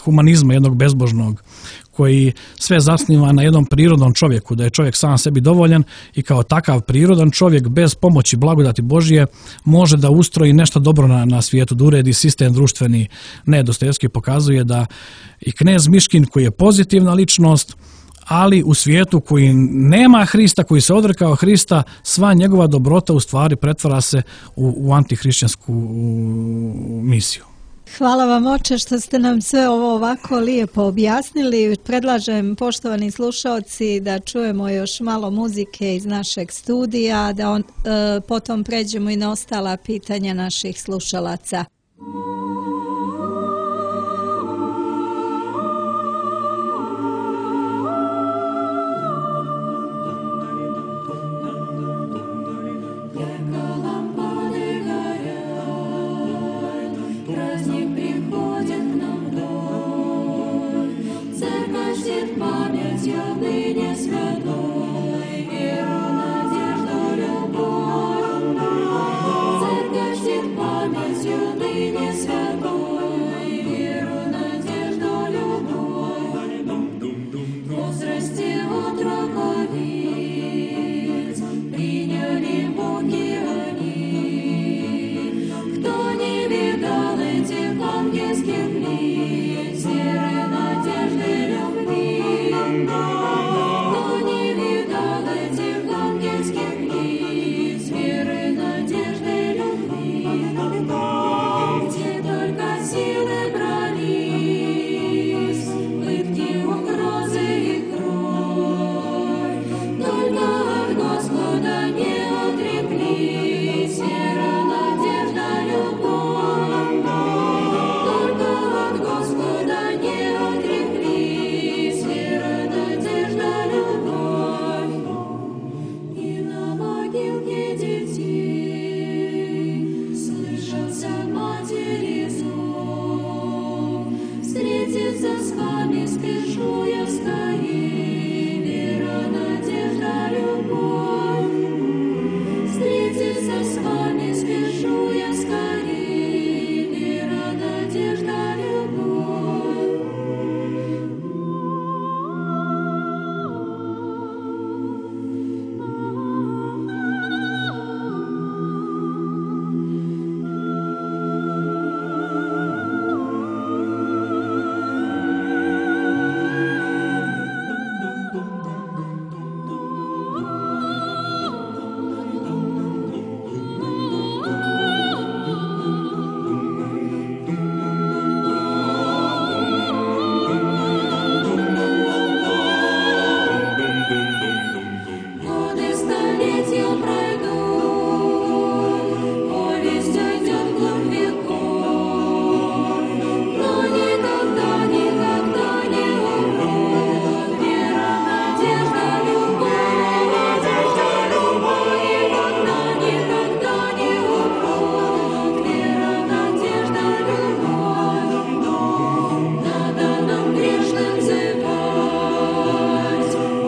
Speaker 7: humanizma, jednog bezbožnog, koji sve zasniva na jednom prirodnom čovjeku, da je čovjek sam sebi dovoljan i kao takav prirodan čovjek bez pomoći blagodati Božje može da ustroji nešto dobro na svijetu, da uredi sistem društveni. Ne, Dostojevski pokazuje da i knez Miškin, koji je pozitivna ličnost, ali u svijetu koji nema Hrista, koji se odrekao Hrista, sva njegova dobrota u stvari pretvara se u antihrišćansku misiju.
Speaker 6: Hvala vam, oče, što ste nam sve ovo ovako lijepo objasnili. Predlažem, poštovani slušalci, da čujemo još malo muzike iz našeg studija, da potom pređemo i na ostala pitanja naših slušalaca.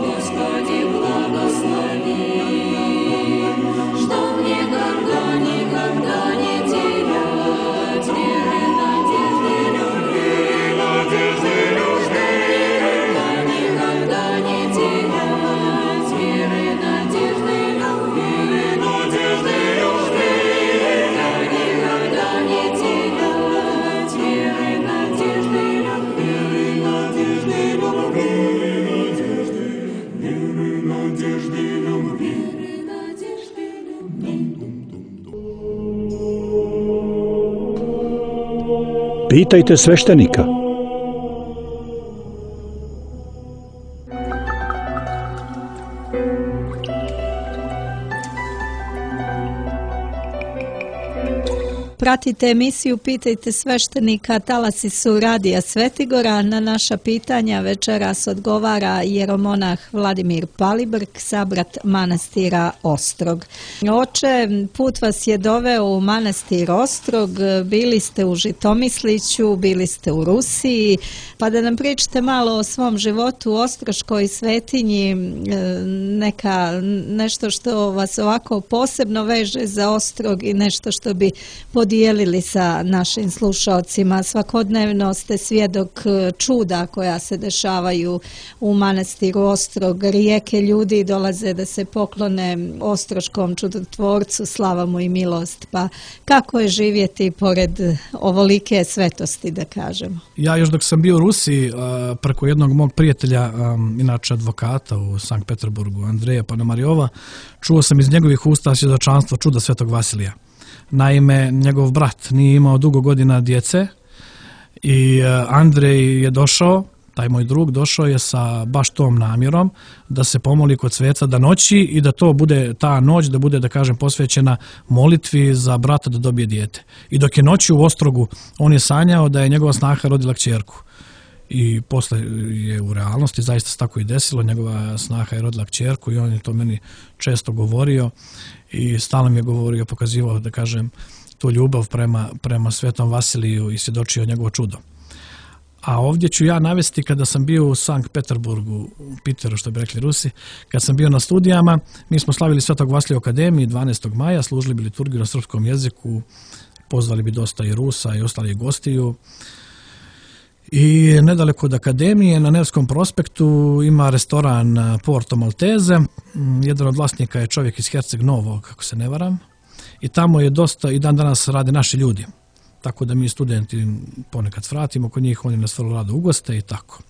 Speaker 8: Господи, благослови. Pitajte sveštenika.
Speaker 6: Pratite emisiju Pitajte sveštenika, talasi su Radija Svetigora. Na naša pitanja večeras odgovara jeromonah Vladimir Palibrk, sabrat manastira Ostrog. Oče, put vas je doveo u manastir Ostrog, bili ste u Žitomisliću, bili ste u Rusiji, pa da nam pričate malo o svom životu u Ostroškoj svetinji, nešto što vas ovako posebno veže za Ostrog i nešto što bi podijelili sa našim slušalcima. Svakodnevno ste svjedok čuda koja se dešavaju u manastiru Ostrog. Rijeke ljudi dolaze da se poklone ostroškom čudotvorcu, slava mu i milost. Pa kako je živjeti pored ovolike svetosti, da kažemo?
Speaker 7: Ja još dok sam bio u Rusiji, preko jednog mog prijatelja, inače advokata u Sankt Peterburgu, Andreja Panomarijova, čuo sam iz njegovih usta svjedočanstvo čuda Svetog Vasilija. Naime, njegov brat nije imao dugo godina djece i Andrej je došao, taj moj drug došao je sa baš tom namjerom da se pomoli kod sveca da noći i da to bude ta noć, da bude, da kažem, posvećena molitvi za brata da dobije dijete. I dok je noći u Ostrogu, on je sanjao da je njegova snaha rodila kćerku. I posle je u realnosti zaista se tako i desilo, njegova snaha je rodila kćerku i on je to meni često govorio i stalno mi je govorio, pokazivao, da kažem, tu ljubav prema Svetom Vasiliju i svjedočio njegovo čudo. A ovdje ću ja navesti kada sam bio u Sankt Peterburgu, u Piteru, što bi rekli Rusi, kad sam bio na studijama, mi smo slavili Svetog Vasilija u Akademiji 12. maja, služili bi liturgiju na srpskom jeziku, pozvali bi dosta i Rusa i ostalih gostiju. I nedaleko od Akademije na Nevskom prospektu ima restoran Porto Maltese. Jedan od vlasnika je čovjek iz Herceg Novog, kako se ne varam. I tamo je dosta, i dan danas rade naši ljudi. Tako da mi studenti ponekad svratimo kod njih, oni nas vrlo rado ugoste i tako.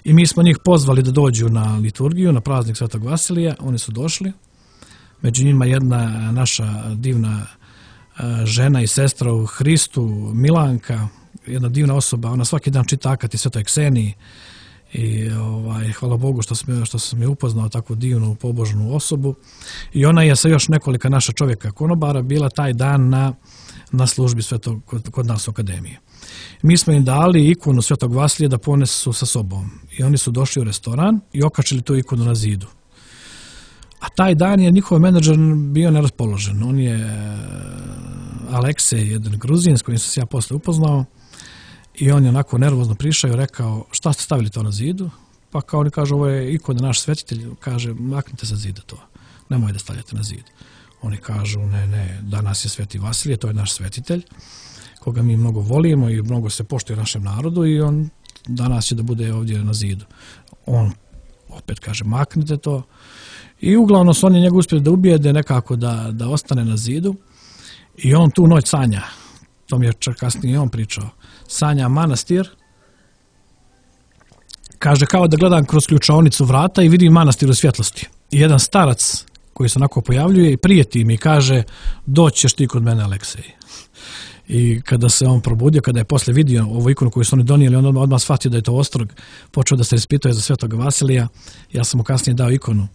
Speaker 7: I mi smo njih pozvali da dođu na liturgiju, na praznik Svetog Vasilija. Oni su došli. Među njima jedna naša divna žena i sestra u Hristu, Milanka, jedna divna osoba, ona svaki dan čita akati Svetoj Kseniji i hvala Bogu što sam je upoznao takvu divnu pobožnu osobu. I ona je sa još nekolika naša čovjeka konobara bila taj dan na službi kod nas u Akademiji. Mi smo im dali ikonu Svetog Vasilija da ponesu sa sobom i oni su došli u restoran i okačili tu ikonu na zidu. A taj dan je njihov menadžer bio neraspoložen. On je Aleksej, jedan Gruzin s kojim sam se ja posle upoznao, i on je onako nervozno prišao i rekao, šta ste stavili to na zidu? Pa kao oni kažu, ovo je ikona naš svetitelj, kaže, maknite sa zida to, nemoj da stavljate na zid. Oni kažu, ne, danas je Sveti Vasilije, to je naš svetitelj, koga mi mnogo volimo i mnogo se poštuje našem narodu i on danas će da bude ovdje na zidu. On opet kaže, maknite to. I uglavnom su oni njega uspjeli da ubijede nekako da ostane na zidu i on tu noć sanja. To mi je čak kasnije on pričao. Sanja manastir, kaže, kao da gledam kroz ključaonicu vrata i vidim manastir u svjetlosti. I jedan starac koji se onako pojavljuje i prijeti mi kaže, doći ćeš ti kod mene, Aleksej. I kada se on probudio, kada je posle vidio ovu ikonu koju su oni donijeli, on odmah shvatio da je to Ostrog, počeo da se ispituje za Svetog Vasilija. Ja sam mu kasnije dao ikonu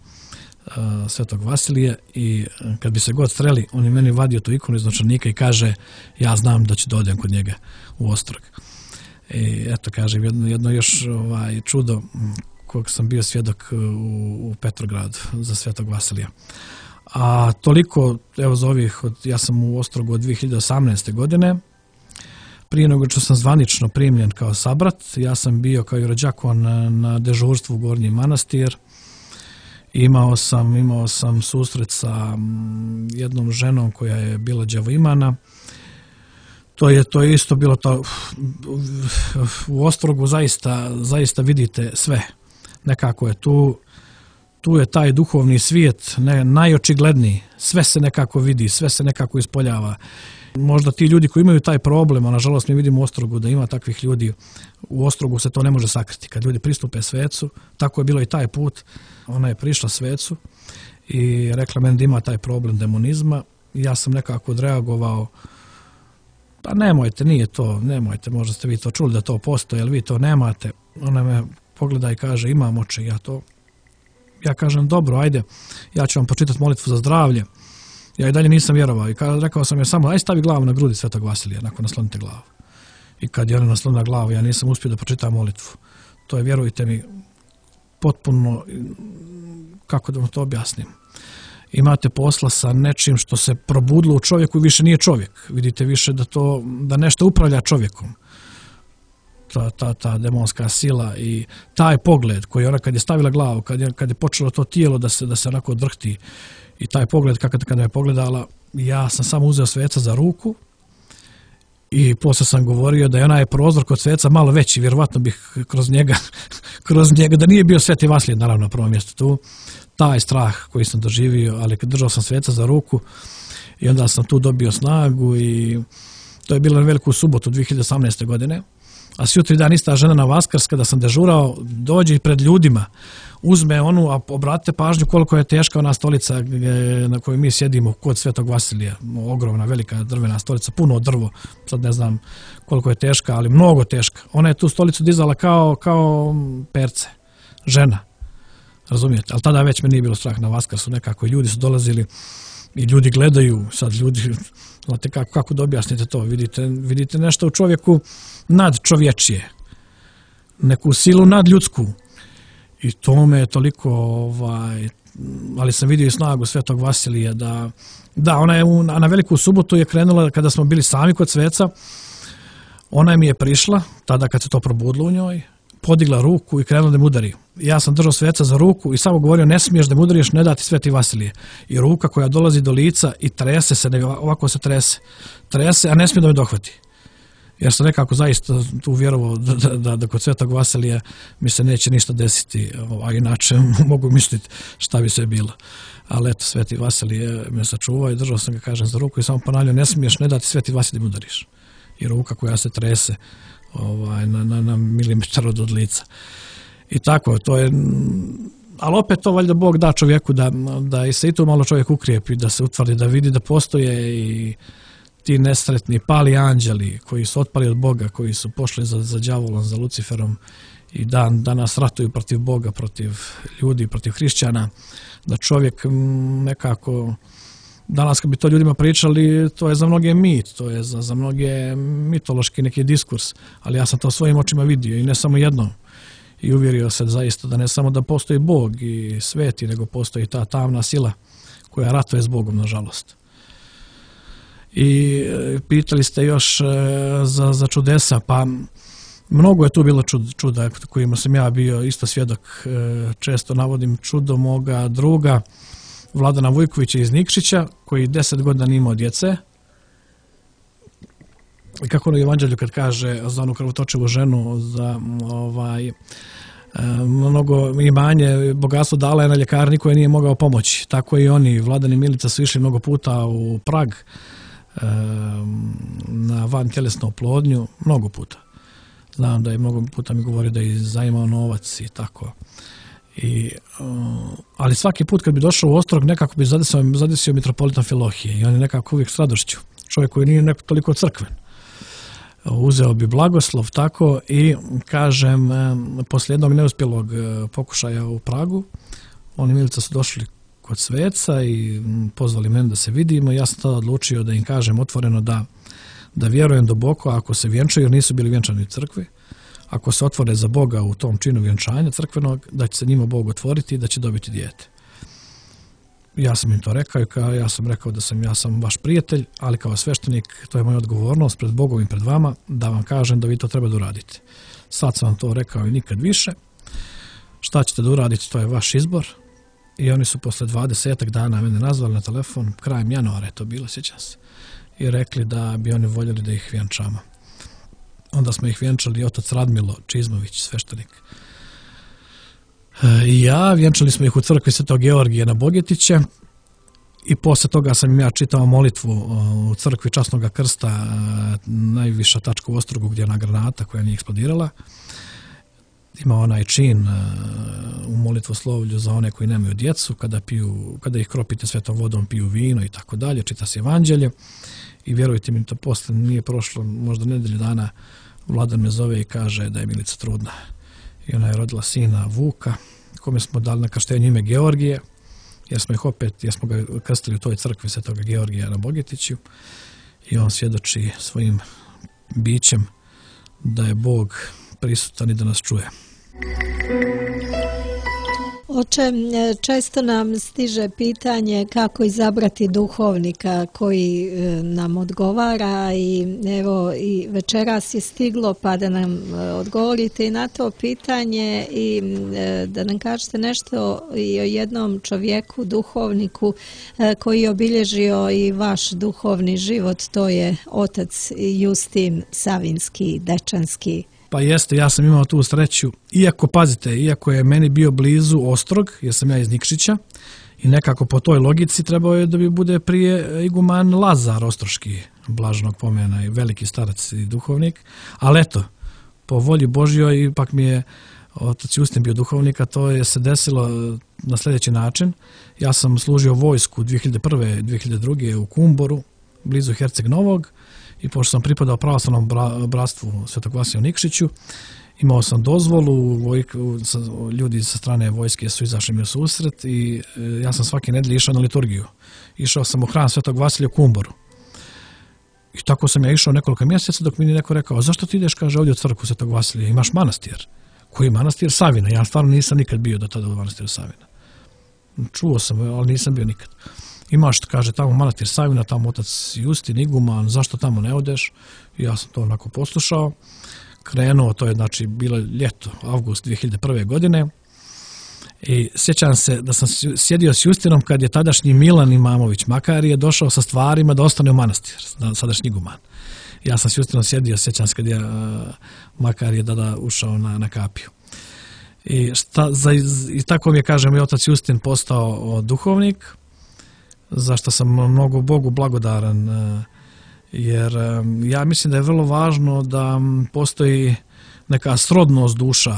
Speaker 7: Svetog Vasilija i kad bi se god streli, on je meni vadio tu ikonu iz novčanika i kaže, ja znam da ću da odem kod njega u Ostrog. I eto, kažem, jedno još čudo kojeg sam bio svjedok u Petrogradu za Svetog Vasilija. A toliko, evo za ovih, ja sam u Ostrogu od 2018. godine. Prije nego što sam zvanično primljen kao sabrat, ja sam bio kao i rođakon na dežurstvu u Gornji Manastir. Imao sam susret sa jednom ženom koja je bila đavoimana. To je isto bilo to, u Ostrogu zaista vidite sve. Nekako je tu je taj duhovni svijet najočigledniji. Sve se nekako vidi, sve se nekako ispoljava. Možda ti ljudi koji imaju taj problem, a nažalost mi vidimo u Ostrogu da ima takvih ljudi, u Ostrogu se to ne može sakriti. Kad ljudi pristupe svecu, tako je bilo i taj put, ona je prišla svecu i rekla meni da ima taj problem demonizma i ja sam nekako odreagovao pa nemojte, nije to, nemojte, možda ste vi to čuli da to postoji, ali vi to nemate. Ona me pogleda i kaže, imam oči, ja kažem, dobro, ajde, ja ću vam počitati molitvu za zdravlje. Ja i dalje nisam vjerovao i rekao sam joj samo, aj stavi glavu na grudi Svetog Vasilija, nakon naslonite glavu. I kad je ona naslonila glavu, ja nisam uspio da pročitam molitvu. To je, vjerujte mi, potpuno, kako da vam to objasnim. Imate posla sa nečim što se probudilo u čovjeku i više nije čovjek. Vidite više da nešto upravlja čovjekom. Ta demonska sila i taj pogled koji ona kad je stavila glavu, kad je počelo to tijelo da se onako odvrhti i taj pogled kad me je pogledala, ja sam samo uzeo sveca za ruku i poslije sam govorio da je onaj prozor kod sveca malo veći, vjerovatno bih kroz njega, da nije bio Sveti Vasilij naravno na prvom mjestu tu, taj strah koji sam doživio, ali kad držao sam sveca za ruku i onda sam tu dobio snagu i to je bilo na Veliku subotu 2018. godine. A sjutri dan ista žena na Vaskrs, kada sam dežurao, dođe pred ljudima, uzme onu, a obratite pažnju koliko je teška ona stolica na kojoj mi sjedimo kod Svetog Vasilija. Ogromna, velika drvena stolica, puno drvo, sad ne znam koliko je teška, ali mnogo teška. Ona je tu stolicu dizala kao perce, žena, razumijete? Ali tada već me nije bilo strah na Vaskrsu, nekako ljudi su dolazili i ljudi gledaju, sad ljudi, znate kako da objasnite to, vidite nešto u čovjeku nadčovječije, neku silu nadljudsku i to me je toliko, ali sam vidio i snagu Svetog Vasilija da ona je na Veliku subotu je krenula kada smo bili sami kod sveca, ona mi je prišla, tada kad se to probudilo u njoj, podigla ruku i krenula da me udari. Ja sam držao sveca za ruku i samo govorio ne smiješ da me udariš, ne dati Sveti Vasilije. I ruka koja dolazi do lica i trese se, ovako se trese, a ne smije da me dohvati. Jer sam nekako zaista tu vjerovao da kod Svetog Vasilija mi se neće ništa desiti, a inače mogu misliti šta bi sve bilo. Ali eto, Sveti Vasilije me sačuvao i držao sam ga, kažem, za ruku i samo ponavljao ne smiješ ne dati Sveti Vasilije da me udariš. I ruka koja se trese na milimetar od lica. I tako, to je, ali opet to valjda Bog da čovjeku da i se i to malo čovjek ukrijepi, da se utvrdi, da vidi da postoje i ti nesretni pali anđeli koji su otpali od Boga, koji su pošli za đavolom, za Luciferom i danas ratuju protiv Boga, protiv ljudi, protiv hrišćana, da čovjek nekako, danas kad bi to ljudima pričali, to je za mnoge mit, to je za mnoge mitološki neki diskurs, ali ja sam to svojim očima vidio i ne samo jednom. I uvjerio se zaista da ne samo da postoji Bog i sveti, nego postoji ta tamna sila koja ratuje s Bogom, nažalost. I pitali ste još za čudesa, pa mnogo je tu bilo čuda kojima sam ja bio isto svjedok. Često navodim čudo moga druga Vladana Vujkovića iz Nikšića, koji 10 godina nije imao djece. I kako ono u Evanđelju kad kaže za onu krvotočivu ženu, za mnogo imanje, bogatstvo dala je na ljekarni koje nije mogao pomoći. Tako i oni, Vladan i Milica, su išli mnogo puta u Prag na vantjelesnu oplodnju, mnogo puta. Znam da je mnogo puta mi govorio da je zaimao novac i tako. Ali svaki put kad bi došao u Ostrog, nekako bi zadesio mitropolita Amfilohije i on je nekako uvijek s radošću. Čovjek koji nije toliko crkven. Uzeo bi blagoslov tako i kažem, poslije jednog neuspjelog pokušaja u Pragu, oni Milica su došli kod sveca i pozvali mene da se vidimo. Ja sam tada odlučio da im kažem otvoreno da vjerujem duboko ako se vjenčaju, jer nisu bili vjenčani u crkvi, ako se otvore za Boga u tom činu vjenčanja crkvenog, da će se njima Bog otvoriti i da će dobiti dijete. Ja sam im to rekao i ja sam rekao da ja sam vaš prijatelj, ali kao sveštenik to je moja odgovornost pred Bogom i pred vama da vam kažem da vi to treba da uradite. Sad sam vam to rekao i nikad više. Šta ćete da uradite, to je vaš izbor. I oni su posle 20 dana mene nazvali na telefon, krajem januara je to bilo, sjećam se, i rekli da bi oni voljeli da ih vjenčamo. Onda smo ih vjenčali otac Radmilo Čizmović, sveštenik. I ja, vjenčali smo ih u crkvi Svetog Georgija na Bogetiće i posle toga sam im ja čitao molitvu u crkvi Časnog krsta, najviša tačka u Ostrogu gdje je ona granata koja nije eksplodirala. ima onaj čin u molitvoslovlju za one koji nemaju djecu, kada ih kropite svetom vodom, piju vino i tako dalje, čita se evanđelje. I vjerujte mi, to posle nije prošlo možda nedelju dana, Vladan me zove i kaže da je Milica trudna. I ona je rodila sina Vuka, kome smo dali na krštenju ime Georgije, jer smo ga krstili u toj crkvi Svetoga Georgija na Bogetiću. I on svjedoči svojim bićem da je Bog prisutan i da nas čuje.
Speaker 6: Oče, često nam stiže pitanje kako izabrati duhovnika koji nam odgovara i evo i večeras je stiglo pa da nam odgovorite i na to pitanje i da nam kažete nešto i o jednom čovjeku, duhovniku koji je obilježio i vaš duhovni život, to je otac Justin Savinski, Dečanski.
Speaker 7: Pa jeste, ja sam imao tu sreću, iako je meni bio blizu Ostrog, jer sam ja iz Nikšića i nekako po toj logici trebao je da bi bude prije iguman Lazar Ostroški, blaženog pomena i veliki starac i duhovnik, ali eto, po volji Božjoj ipak mi je otac Justin bio duhovnik, a to je se desilo na sljedeći način. Ja sam služio vojsku 2001. 2002. u Kumboru, blizu Herceg Novog, i pošto sam pripadao pravoslavnom bratstvu Svetog Vasilija u Nikšiću, imao sam dozvolu, ljudi sa strane vojske su izašli mi u susret i ja sam svake nedelje išao na liturgiju. Išao sam u hram Svetog Vasilija u Kumboru. I tako sam ja išao nekoliko mjeseca dok mi je neko rekao, zašto ti ideš, kaže, ovdje u crkvu Svetog Vasilija, imaš manastir. Koji manastir? Savina. Ja stvarno nisam nikad bio do tada u manastiru Savina. Čuo sam, ali nisam bio nikad. Imaš, kaže, tamo manastir Savina, tamo otac Justin, iguman, zašto tamo ne odeš? I ja sam to onako poslušao. Krenuo, to je znači bilo ljeto, avgust 2001. godine. I sjećam se da sam sjedio s Justinom kad je tadašnji Milan Imamović Makarije došao sa stvarima da ostane u manastir, sadašnji iguman. Ja sam s Justinom sjedio, sjećam se kad je Makarije tada ušao na kapiju. I tako mi je, kažem, i otac Justin postao duhovnik, zašto sam mnogo Bogu blagodaran, jer ja mislim da je vrlo važno da postoji neka srodnost duša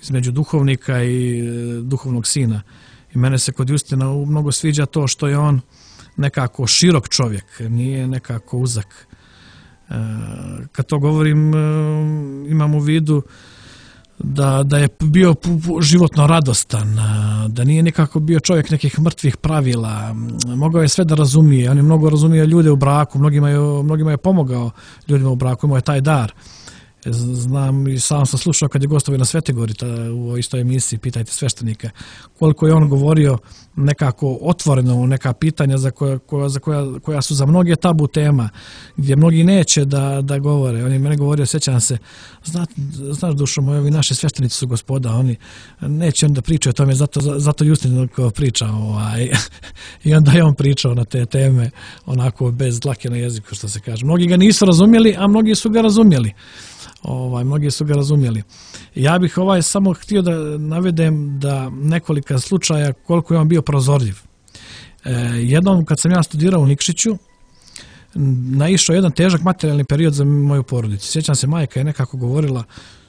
Speaker 7: između duhovnika i duhovnog sina. I mene se kod Justina mnogo sviđa to što je on nekako širok čovjek, nije nekako uzak. Kad to govorim, imam u vidu da je bio životno radostan, da nije nekako bio čovjek nekih mrtvih pravila, mogao je sve da razumije, on je mnogo razumio ljude u braku, mnogima je pomogao ljudima u braku, imao je taj dar. Znam i sam sam slušao kad je gostovao na Svetegori u istoj emisiji Pitajte sveštenika, koliko je on govorio nekako otvoreno neka pitanja koja su za mnoge tabu tema, gdje mnogi neće da govore. On je mene govorio, sjećam se, znaš dušo moja, ovi naši sveštenici su gospoda, oni neće onda pričaju o tome, zato Justin priča. I onda je on pričao na te teme onako bez dlake na jeziku, što se kaže. Mnogi ga nisu razumjeli, a mnogi su ga razumjeli. Ja bih samo htio da navedem da nekolika slučaja koliko je on bio prozorljiv. Jednom kad sam ja studirao u Nikšiću, naišao jedan težak materijalni period za moju porodicu. Sjećam se, majka je nekako govorila,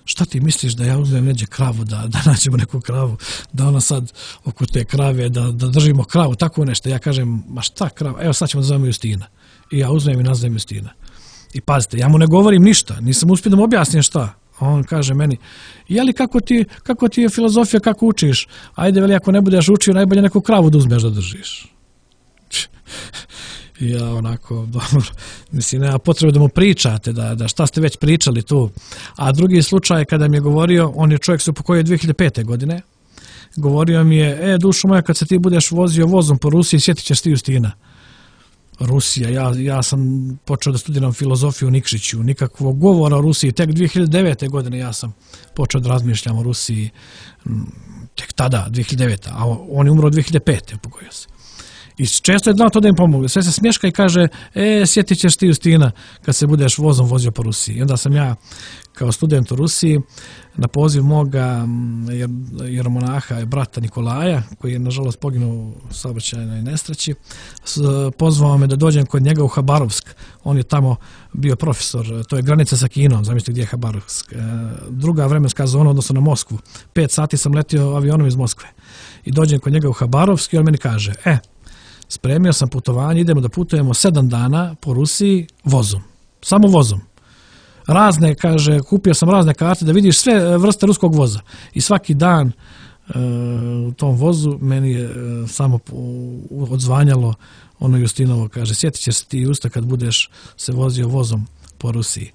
Speaker 7: šta ti misliš da ja uzmem neđe kravu, da nađemo neku kravu, da ona sad oko te krave, da držimo kravu, tako nešto. Ja kažem, ma šta krava, evo sad ćemo da zovemo Justina. I ja uzmem i nazovem Justina. I pazite, ja mu ne govorim ništa, nisam uspio da mu objasnim šta. On kaže meni, jeli kako ti je filozofija, kako učiš? Ajde, veli, ako ne budeš učio, najbolje neku kravu da uzmeš da držiš. I ja onako, dobro, mislim, nema potrebe da mu pričate, da šta ste već pričali tu. A drugi slučaj kada mi je govorio, on je čovjek se upokojio 2005. godine, govorio mi je, dušo moja, kad se ti budeš vozio vozom po Rusiji, sjetit ćeš ti Justina. Rusija, ja sam počeo da studiram filozofiju u Nikšiću, nikakvog govora o Rusiji, tek 2009. godine ja sam počeo da razmišljam o Rusiji, tek tada, 2009. A on je umro 2005. upokojio se. I često je znao to da im pomogu. Sve se smješka i kaže, sjetit ćeš ti Justina kad se budeš vozom vozio po Rusiji. I onda sam ja kao student u Rusiji na poziv moga jeromonaha i brata Nikolaja, koji je nažalost poginuo u saobraćajnoj nesreći, pozvao me da dođem kod njega u Habarovsk. On je tamo bio profesor, to je granica sa Kinom, zamislite gdje je Habarovsk. Druga vremenska zona, odnosno na Moskvu. 5 sati sam letio avionom iz Moskve. I dođem kod njega u Habarovsk i on meni kaže, spremio sam putovanje, idemo da putujemo 7 dana po Rusiji vozom. Samo vozom. Razne, kaže, kupio sam razne karte da vidiš sve vrste ruskog voza. I svaki dan u tom vozu meni je samo odzvanjalo ono Justinovo, kaže, sjetit ćeš se ti Justa kad budeš se vozio vozom po Rusiji.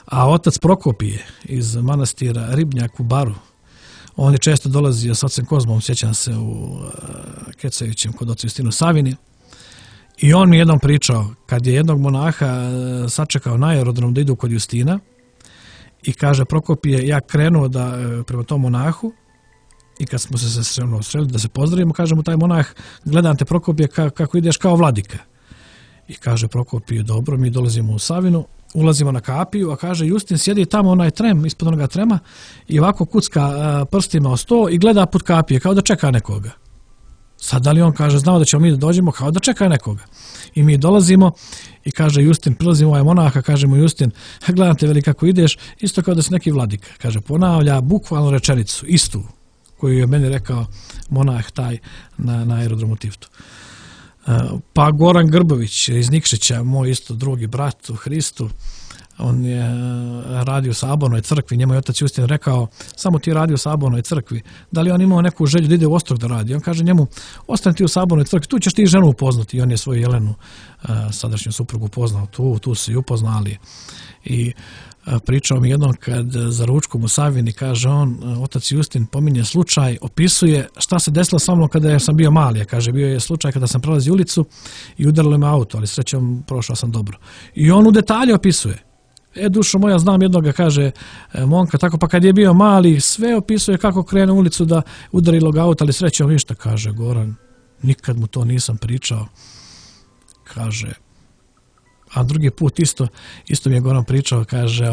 Speaker 7: A otac Prokopije iz manastira Ribnjak u Baru, on je često dolazio s ocem Kozmom, sjećam se u Kecajućem kod oca Justinu Savini. I on mi jednom pričao, kad je jednog monaha sačekao na aerodrom da idu kod Justina i kaže Prokopije, ja krenuo prema tom monahu i kad smo se sreli da se pozdravimo, kaže mu taj monah, gledam te Prokopije kako ideš kao vladika. I kaže Prokopije, dobro, mi dolazimo u Savinu, ulazimo na kapiju, a kaže Justin sjedi tamo onaj trem, ispod onoga trema i ovako kucka prstima o sto i gleda put kapije kao da čeka nekoga. Sad da li on kaže, znao da ćemo mi da dođemo kao da čeka nekoga. I mi dolazimo i kaže Justin, prilazimo ovaj monaha, kaže mu Justin, gledam te veli kako ideš, isto kao da si neki vladika. Kaže, ponavlja bukvalno rečenicu, istu, koju je meni rekao monah taj na aerodromu Tivtu. Pa Goran Grbović iz Nikšića, moj isto drugi brat u Hristu, on je radio u Sabornoj crkvi, njemu je otac Justin rekao, samo ti radi u Sabornoj crkvi, da li on imao neku želju da ide u Ostrog da radi? On kaže njemu, ostani ti u Sabornoj crkvi, tu ćeš ti ženu upoznati. I on je svoju Jelenu, sadašnju suprugu, upoznao, tu su i upoznali. I pričao mi jednom kad za ručkom u Savini, kaže on, otac Justin pominje slučaj, opisuje šta se desilo sa mnom kada sam bio mali. Kaže, bio je slučaj kada sam prelazio ulicu i udarilo me auto, ali srećom prošao sam dobro. I on u detalje opisuje. Dušo moja, znam jednoga, kaže momka, tako pa kad je bio mali, sve opisuje kako krene u ulicu da udarilo ga auto, ali srećom ništa, kaže Goran, nikad mu to nisam pričao. Kaže, a drugi put isto mi je Goran pričao, kaže,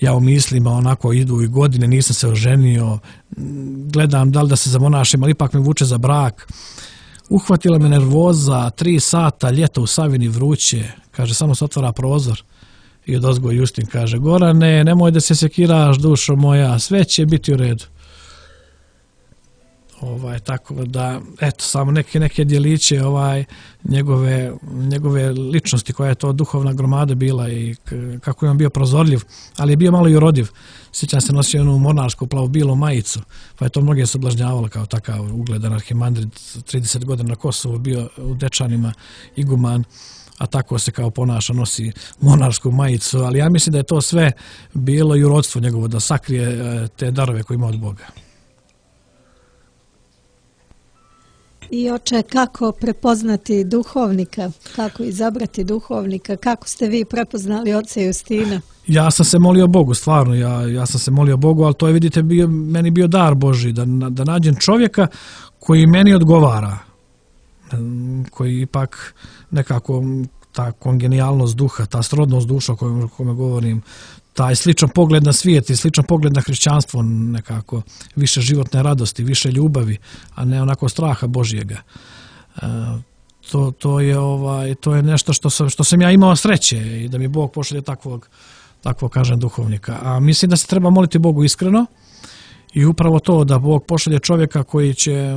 Speaker 7: ja u mislima onako idu i godine, nisam se oženio, gledam da li da se zamonašim, ali ipak me vuče za brak. Uhvatila me nervoza, 3 sata, ljeto u Savini vruće, kaže, samo se otvara prozor. I odozgo Justin kaže, Gorane, nemoj da se sekiraš, dušo moja, sve će biti u redu. Tako da, eto, samo neke djeliće njegove ličnosti, koja je to duhovna gromada bila i kako je on bio prozorljiv, ali je bio malo i urodiv. Sjećam se, nosio onu monarsku plavo-bilu majicu, pa je to mnoge sablažnjavalo kao takav ugledan arhimandrid, 30 godina na Kosovu, bio u Dečanima iguman, a tako se kao ponaša, nosi monarsku majicu, ali ja mislim da je to sve bilo i urodstvo njegovo, da sakrije te darove koje ima od Boga.
Speaker 6: I oče, kako prepoznati duhovnika, kako izabrati duhovnika, kako ste vi prepoznali oca Justina?
Speaker 7: Ja sam se molio Bogu, stvarno, ja sam se molio Bogu, ali to je, vidite, meni bio dar Božji, da nađem čovjeka koji meni odgovara, koji ipak nekako ta kongenijalnost duha, ta srodnost duša o kojoj govorim, taj sličan pogled na svijet i sličan pogled na hrišćanstvo, nekako više životne radosti, više ljubavi, a ne onako straha Božjega. To je nešto što sam ja imao sreće i da mi Bog pošalje takvog kažem duhovnika. A mislim da se treba moliti Bogu iskreno i upravo to da Bog pošalje čovjeka koji će,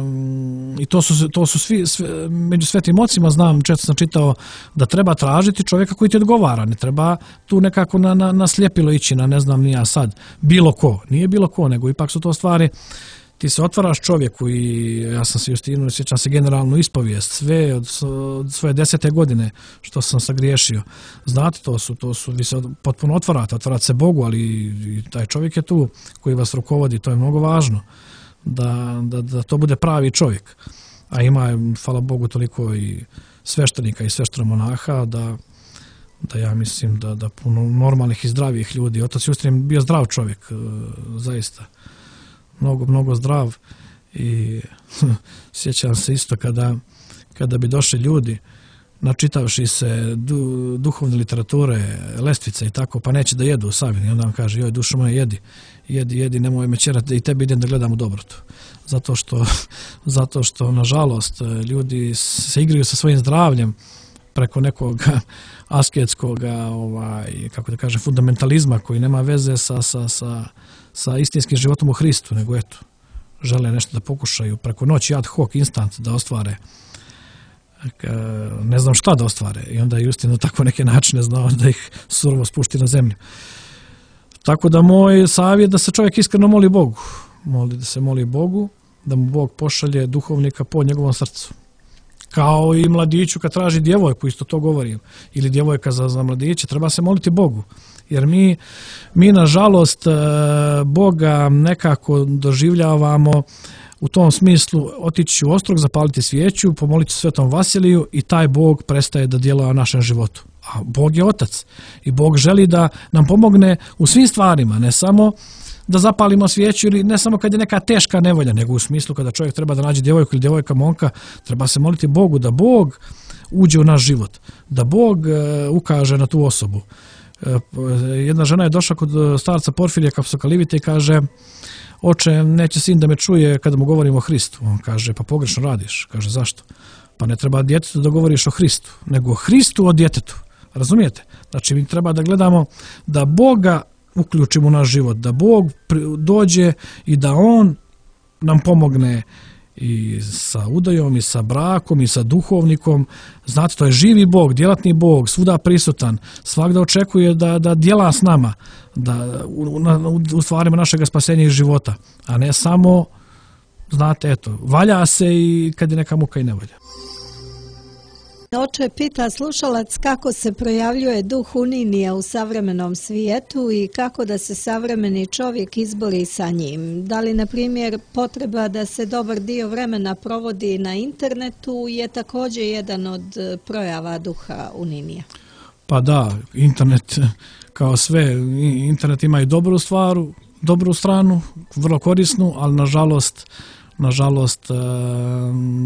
Speaker 7: i to su svi među svetim ocima, znam, često sam čitao da treba tražiti čovjeka koji ti odgovara, ne treba tu nekako na sljepilo ići, na ne znam ni ja sad, bilo ko, nije bilo ko, nego ipak su to stvari, ti se otvaraš čovjeku i ja sam se Justinu, sjećam se generalnu ispovijest, sve od svoje 10. godine što sam sagriješio. Znate, to su, vi se potpuno otvarate se Bogu, ali i taj čovjek je tu koji vas rukovodi, to je mnogo važno, da to bude pravi čovjek. A ima, hvala Bogu, toliko i sveštenika i sveštenomonaha da ja mislim da puno normalnih i zdravih ljudi. Otac Justin je bio zdrav čovjek, zaista. Mnogo zdrav i sjećam se isto kada bi došli ljudi načitavši se duhovne literature, lestvice i tako, pa neće da jedu sami. I onda vam kaže, joj, dušo moja, jedi, nemoj me ćerati da i tebi idem da gledam u dobrotu. Zato što, nažalost, ljudi se igraju sa svojim zdravljem preko nekog asketskog, kako da kažem, fundamentalizma koji nema veze sa istinskim životom u Hristu, nego eto, žele nešto da pokušaju preko noći ad hoc, instant da ostvare ne znam šta da ostvare i onda je Justin na tako neke načine znao da ih surovo spušti na zemlju. Tako da moj savjet da se čovjek iskreno moli Bogu. Da se moli Bogu, da mu Bog pošalje duhovnika po njegovom srcu. Kao i mladiću kad traži djevojku, isto to govorim, ili djevojka za mladiće, treba se moliti Bogu. Jer mi nažalost Boga nekako doživljavamo u tom smislu otići u Ostrog, zapaliti svijeću, pomoliti Svetom Vasiliju i taj Bog prestaje da djeluje u našem životu. A Bog je Otac i Bog želi da nam pomogne u svim stvarima, ne samo da zapalimo svijeću ili ne samo kad je neka teška nevolja, nego u smislu kada čovjek treba da nađe djevojku ili djevojka momka, treba se moliti Bogu da Bog uđe u naš život, da Bog ukaže na tu osobu. Jedna žena je došla kod starca Porfirija Kapsokalivite i kaže, oče, neće sin da me čuje kada mu govorim o Hristu. On kaže, pa pogrešno radiš. Kaže, zašto? Pa ne treba djetetu da govoriš o Hristu, nego o Hristu o djetetu. Razumijete? Znači, mi treba da gledamo da Boga uključimo u naš život, da Bog dođe i da On nam pomogne i sa udajom, i sa brakom, i sa duhovnikom. Znate, to je živi Bog, djelatni Bog, svuda prisutan, svakda očekuje da djela s nama, da u stvarima našeg spasenja i života, a ne samo, znate, eto, valja se i kad je neka muka i nevolja.
Speaker 6: Oče, pita slušalac kako se projavljuje duh uninija u savremenom svijetu i kako da se savremeni čovjek izbori sa njim. Da li, na primjer, potreba da se dobar dio vremena provodi na internetu je također jedan od projava duha uninija? Pa da, internet kao sve, internet ima i dobru stranu, vrlo korisnu, ali nažalost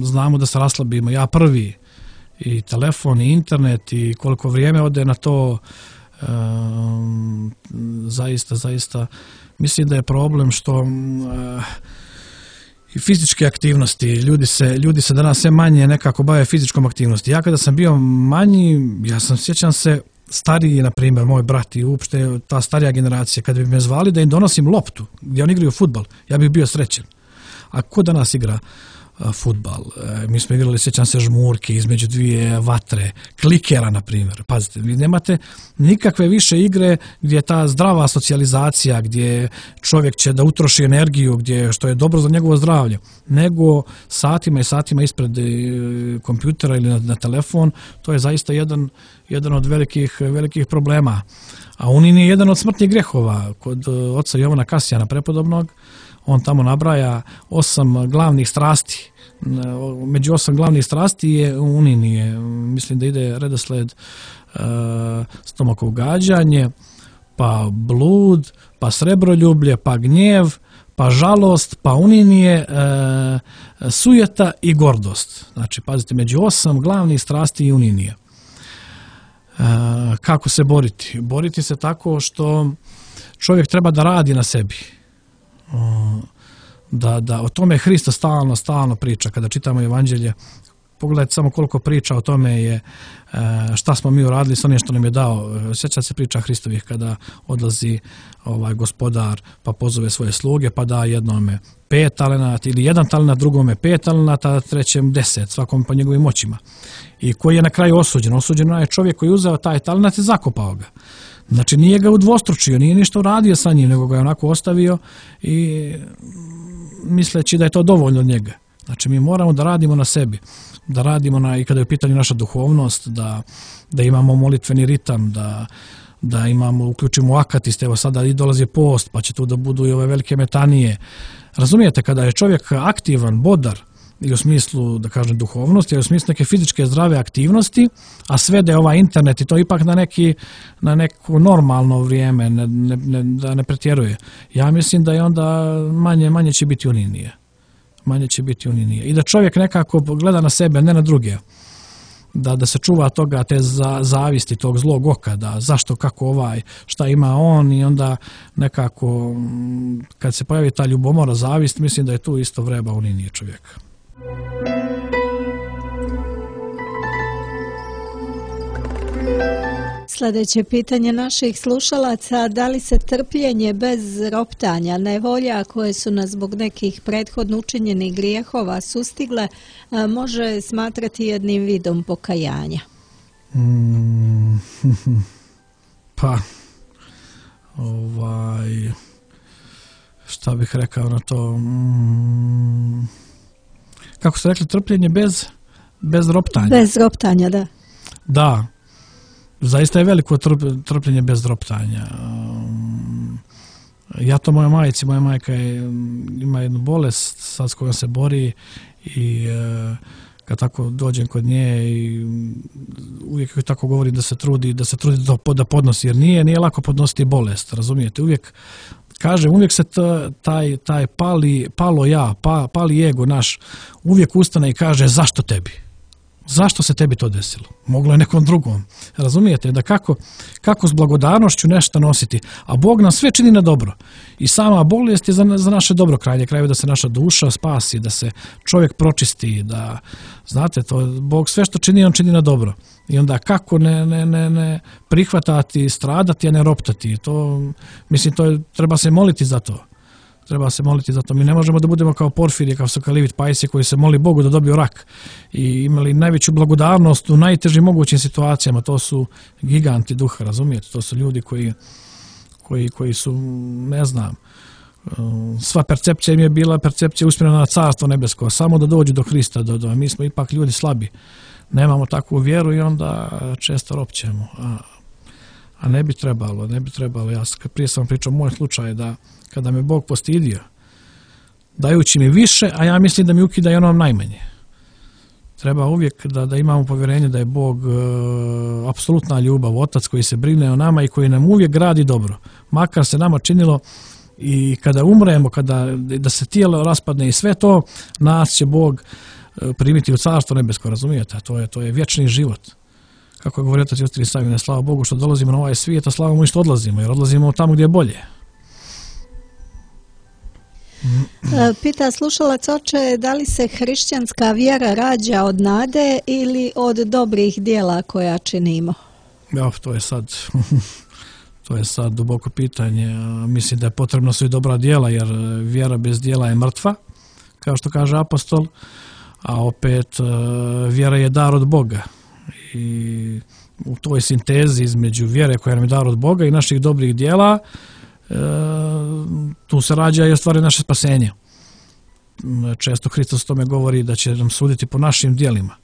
Speaker 6: znamo da se raslabimo. Ja prvi, i telefon, i internet, i koliko vrijeme ode na to, zaista mislim da je problem što i fizičke aktivnosti, ljudi se danas sve manje nekako bave fizičkom aktivnosti. Ja kada sam bio manji, sjećam se, stariji, na primjer, moj brat i uopšte ta starija generacija, kada bi me zvali da im donosim loptu, gdje oni igraju fudbal, ja bih bio srećen. A ko danas igra fudbal? Mi smo igrali, sjećam se, žmurke između dvije vatre, klikera, na primjer. Pazite, vi nemate nikakve više igre gdje je ta zdrava socijalizacija, gdje čovjek će da utroši energiju, što je dobro za njegovo zdravlje, nego satima i satima ispred kompjutera ili na telefon. To je zaista jedan od velikih problema. A unin je jedan od smrtnih grehova kod oca Jovana Kasijana prepodobnog. On tamo nabraja 8 glavnih strasti. Među 8 glavnih strasti je uninije. Mislim da ide redosled stomakov gađanje, pa blud, pa srebroljublje, pa gnjev, pa žalost, pa uninije, sujeta i gordost. Znači, pazite, među 8 glavnih strasti je uninije. Kako se boriti? Boriti se tako što čovjek treba da radi na sebi. Da o tome Hrista stalno priča. Kada čitamo Evanđelje, pogledajte samo koliko priča o tome je šta smo mi uradili s onim što nam je dao. Sjećate se priča Hristovih kada odlazi gospodar pa pozove svoje sluge pa da jednome 5 talenata ili 1 talenat, drugome 5 talenata, trećem 10, svakom po njegovim moćima. I koji je na kraju osuđen? Osuđen je čovjek koji je uzeo taj talenat i zakopao ga. Znači nije ga udvostručio, nije ništa uradio sa njim, nego ga je onako ostavio i misleći da je to dovoljno od njega. Znači mi moramo da radimo na sebi, da radimo i kada je u pitanju naša duhovnost, da imamo molitveni ritam, da uključimo akatiste, evo sada i dolazi post, pa će tu da budu i ove velike metanije. Razumijete, kada je čovjek aktivan, bodar, i u smislu, da kažem, duhovnosti, i u smislu neke fizičke zdrave aktivnosti, a sve da je ovaj internet i to ipak na neko normalno vrijeme, da ne pretjeruje. Ja mislim da je onda manje će biti uninije.
Speaker 7: manje će biti unije. I da čovjek nekako gleda na sebe, ne na druge. Da se čuva toga, te zavisti, tog zlog oka, da zašto, kako šta ima on, i onda nekako kad se pojavi ta ljubomora, zavist, mislim da je tu isto vreba unije čovjeka.
Speaker 6: Sljedeće pitanje naših slušalaca: da li se trpljenje bez roptanja, nevolja koje su nas zbog nekih prethodno učinjenih grijehova sustigle, može smatrati jednim vidom pokajanja?
Speaker 7: Pa, šta bih rekao na to? Kako ste rekli, trpljenje bez roptanja?
Speaker 6: Bez roptanja, da.
Speaker 7: Da. Zaista je veliko trpljenje bez roptanja. Ja to moja majka ima jednu bolest sad s kojom se bori, i kad tako dođem kod nje i uvijek tako govori da se trudi da podnosi, jer nije lako podnositi bolest, razumijete? Uvijek se taj pali ego naš uvijek ustane i kaže: zašto tebi? Zašto se tebi to desilo? Moglo je nekom drugom. Razumijete? Da kako s blagodarnošću nešto nositi. A Bog nam sve čini na dobro. I sama bolest je za naše dobro, krajeve da se naša duša spasi, da se čovjek pročisti, da, znate, to Bog sve što čini, on čini na dobro. I onda kako ne prihvatati, stradati, a ne roptati. To, mislim, treba se moliti za to. Mi ne možemo da budemo kao Porfirije, kao Sokalivit Pajsije, koji se moli Bogu da dobiju rak i imali najveću blagodarnost u najtežim mogućim situacijama. To su giganti duha, razumijete? To su ljudi koji su, ne znam, sva percepcija im je bila percepcija usmjerena na Carstvo nebesko, samo da dođu do Hrista. Mi smo ipak ljudi slabi, nemamo takvu vjeru i onda često ropćemo. A ne bi trebalo. Ja prije sam pričao moj slučaj da kada me Bog postidio, dajući mi više, a ja mislim da mi ukida i ono najmanje. Treba uvijek da imamo povjerenje da je Bog apsolutna ljubav, Otac koji se brine o nama i koji nam uvijek gradi dobro. Makar se nama činilo i kada umremo, da se tijelo raspadne i sve to, nas će Bog primiti u Carstvo nebesko, razumijete? To je vječni život. Kako je govorio Otac Justin Savine, slava Bogu što dolazimo na ovaj svijet, a slava mu što odlazimo, jer odlazimo tamo gdje je bolje.
Speaker 6: Pita slušalac: oče, da li se hrišćanska vjera rađa od nade ili od dobrih djela koja činimo?
Speaker 7: Ja, to je sad duboko pitanje. Mislim da je potrebno su i dobra djela, jer vjera bez djela je mrtva, kao što kaže apostol, a opet vjera je dar od Boga. I u toj sintezi između vjere koja nam je dar od Boga i naših dobrih djela, tu se rađa i ostvari naše spasenje. Često Hristos o tome govori da će nam suditi po našim djelima.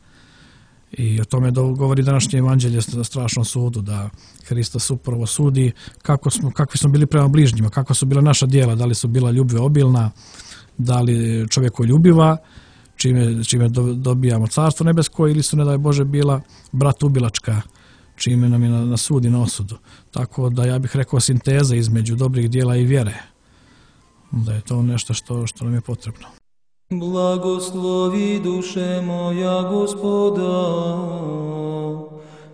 Speaker 7: I o tome govori današnje evanđelje na strašnom sudu, da Hristos upravo sudi kakvi smo bili prema bližnjima, kakva su bila naša djela, da li su bila ljubav obilna, da li čovjekoljubiva, čime dobijamo Carstvo nebesko, ili su, ne daj Bože, bila bratubilačka, čime nam je na sud i na osudu. Tako da ja bih rekao sinteza između dobrih djela i vjere. Da je to nešto što nam je potrebno.
Speaker 3: Blagoslovi duše moja Gospoda,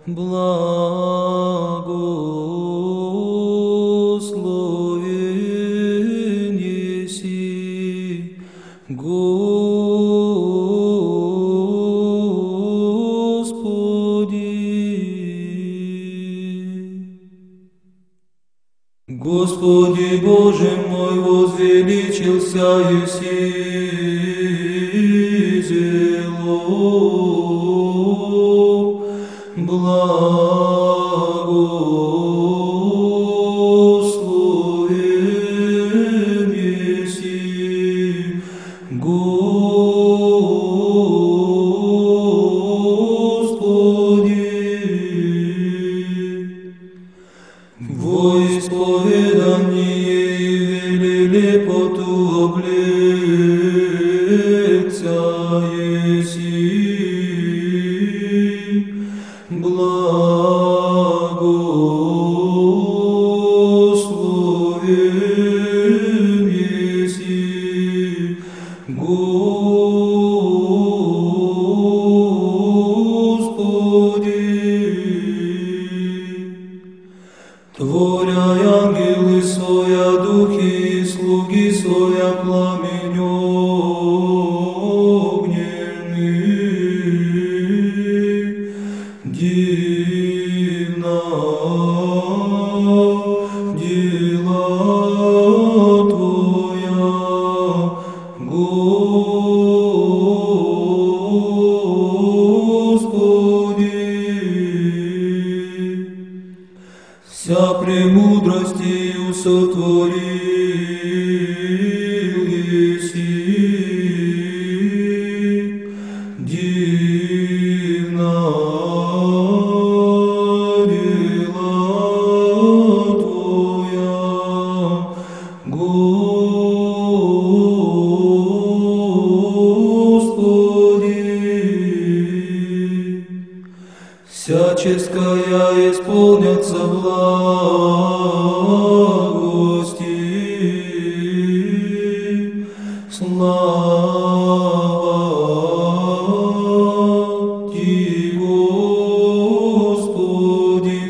Speaker 3: blagosloven jesi, Господи Боже мой, возвеличился еси зело, благословен еси, Господи. Во исповедание вели лепоту облеца еси, благо divna djela Tvoja, Господи. Всяческая исполнятся благости, слава Ти, Господи,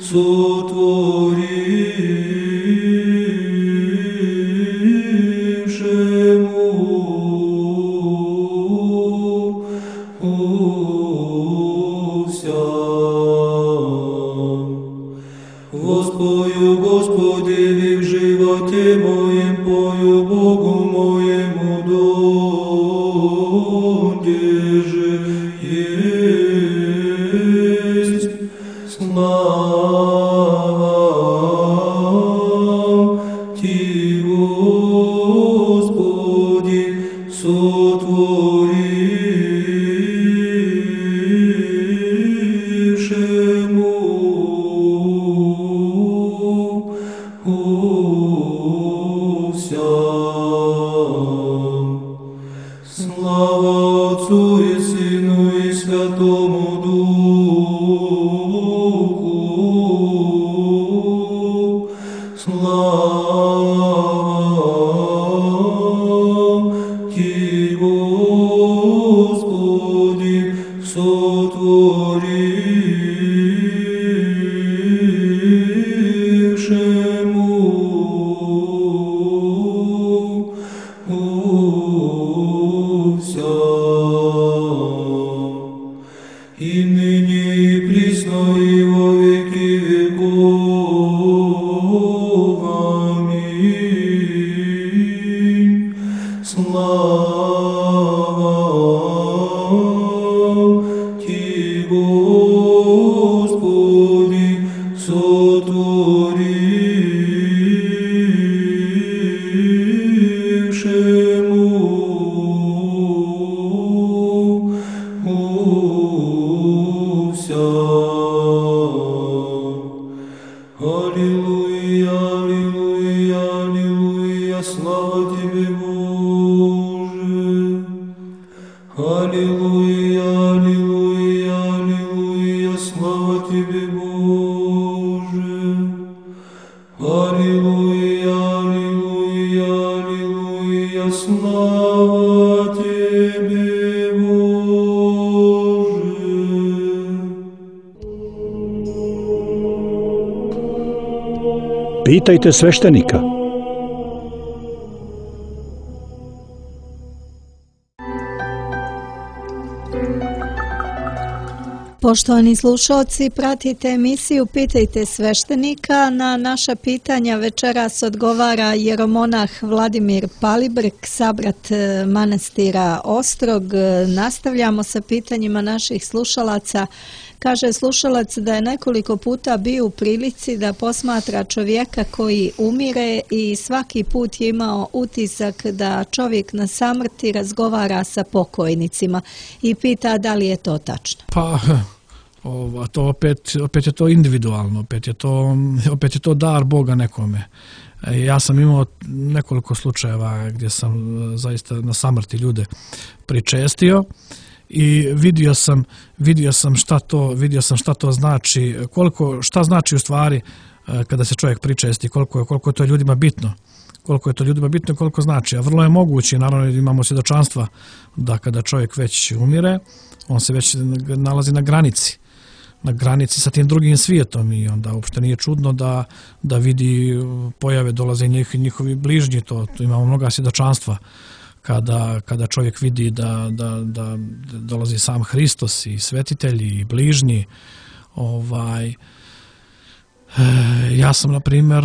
Speaker 3: сотворившему вся. Воспою, Господи, в животе моем, пою Богу моему, донде же есть слава Ти, Господи, сотворившему вся. Слава Отцу и Сыну и Святому Духу, слава Ти, Господи, сотворившему вся. И ныне и присно и во веки веков. Аминь. Слава Ти, Господи, сотворившему вся. Аллилуйя, аллилуйя, аллилуйя, слава Тебе, Боже. Аллилуйя, аллилуйя, аллилуйя, слава Тебе, Боже. Аллилуйя, аллилуйя, аллилуйя, слава Тебе, Боже.
Speaker 8: Pitajte sveštenika.
Speaker 6: Poštovani slušalci, pratite emisiju Pitajte sveštenika. Na naša pitanja večeras odgovara jeromonah Vladimir Palibrk, sabrat manastira Ostrog. Nastavljamo sa pitanjima naših slušalaca. Kaže slušalac da je nekoliko puta bio u prilici da posmatra čovjeka koji umire i svaki put je imao utisak da čovjek na samrti razgovara sa pokojnicima i pita da li je to tačno.
Speaker 7: Pa, to opet je to individualno, opet je to dar Boga nekome. Ja sam imao nekoliko slučajeva gdje sam zaista na samrti ljude pričestio i vidio sam šta to znači, šta znači u stvari kada se čovjek pričesti, koliko je to ljudima bitno. Koliko je to ljudima bitno i koliko znači. A vrlo je moguće, naravno imamo svjedočanstva da kada čovjek već umire, on se već nalazi na granici sa tim drugim svijetom i onda uopšte nije čudno da vidi pojave, dolaze njihovi bližnji, to imamo mnoga svjedočanstva kada čovjek vidi da dolazi sam Hristos i svetitelji i bližnji. Ja sam, na primjer,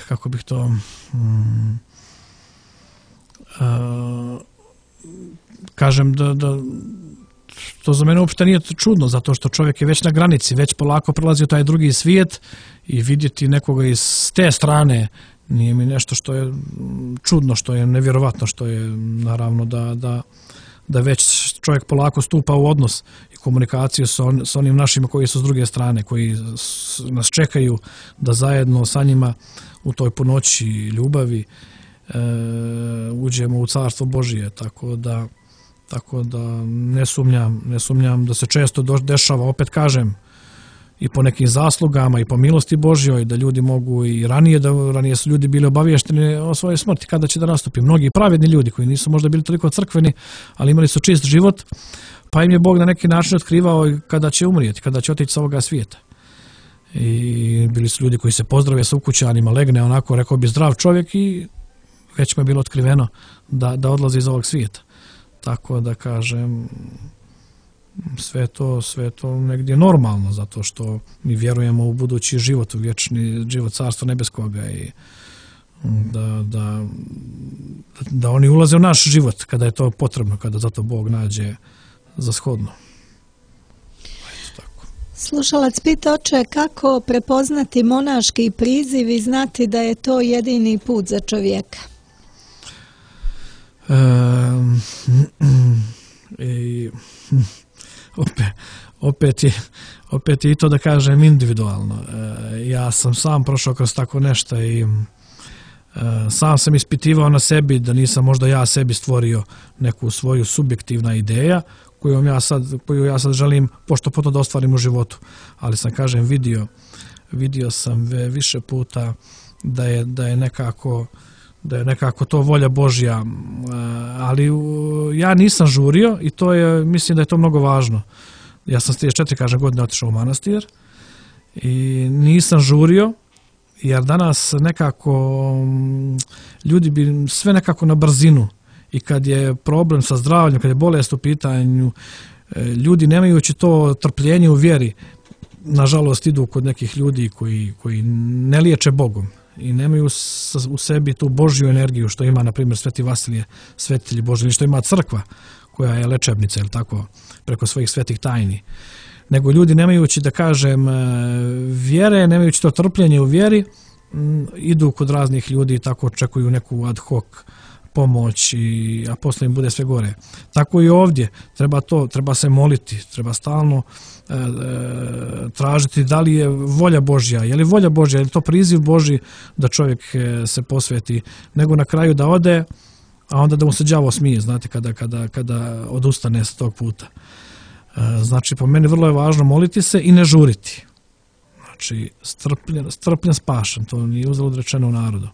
Speaker 7: kako bih to kažem da to za mene uopšte nije čudno, zato što čovjek je već na granici, već polako prelazi u taj drugi svijet i vidjeti nekoga iz te strane nije mi nešto što je čudno, što je nevjerovatno, što je naravno da već čovjek polako stupa u odnos i komunikaciju s onim našima koji su s druge strane, koji nas čekaju da zajedno sa njima u toj punoći ljubavi uđemo u Carstvo Božije, tako da ne sumnjam da se često dešava, opet kažem, i po nekim zaslugama i po milosti Božjoj, da ljudi mogu i ranije su ljudi bili obaviješteni o svojoj smrti kada će da nastupi. Mnogi pravedni ljudi koji nisu možda bili toliko crkveni, ali imali su čist život, pa im je Bog na neki način otkrivao kada će umrijeti, kada će otići sa ovoga svijeta. I bili su ljudi koji se pozdrave sa ukućanima, legne onako, rekao bi, zdrav čovjek i već mu je bilo otkriveno da odlazi iz ovog svijeta. Tako da kažem, sve to negdje normalno, zato što mi vjerujemo u budući život, u vječni život Carstva Nebeskoga i da oni ulaze u naš život kada je to potrebno, kada zato Bog nađe za shodno.
Speaker 6: Slušalac pita, oče, kako prepoznati monaški priziv i znati da je to jedini put za čovjeka?
Speaker 7: Opet je i to, da kažem, individualno. Ja sam sam prošao kroz tako nešto i sam sam ispitivao na sebi da nisam možda ja sebi stvorio neku svoju subjektivna ideja koju ja sad želim pošto potom da ostvarim u životu. Ali sam, kažem, vidio sam više puta da je nekako to volja Božja, ali ja nisam žurio i mislim da je to mnogo važno. Ja sam s 34, kažem, godine otišao u manastir i nisam žurio, jer danas nekako ljudi bi sve nekako na brzinu, i kad je problem sa zdravljem, kad je bolest u pitanju, ljudi nemajući to trpljenje u vjeri, nažalost idu kod nekih ljudi koji ne liječe Bogom i nemaju u sebi tu Božju energiju što ima, na primjer, Sveti Vasilije, svetitelji Božji, ili što ima crkva koja je lečebnica, ili tako, preko svojih svetih tajni. Nego ljudi nemajući, da kažem, vjere, nemajući to trpljenje u vjeri, idu kod raznih ljudi i tako očekuju neku ad hoc pomoć, a posle im bude sve gore. Tako i ovdje, treba se moliti, treba stalno tražiti da li je volja Božja, je li volja Božja, je li to priziv Božji da čovjek se posveti, nego na kraju da ode, a onda da mu se đavo smije, znate, kada odustane s tog puta. Znači, po meni vrlo je važno moliti se i ne žuriti. Znači, strpljen spašen, to nije uzalud rečeno u narodu.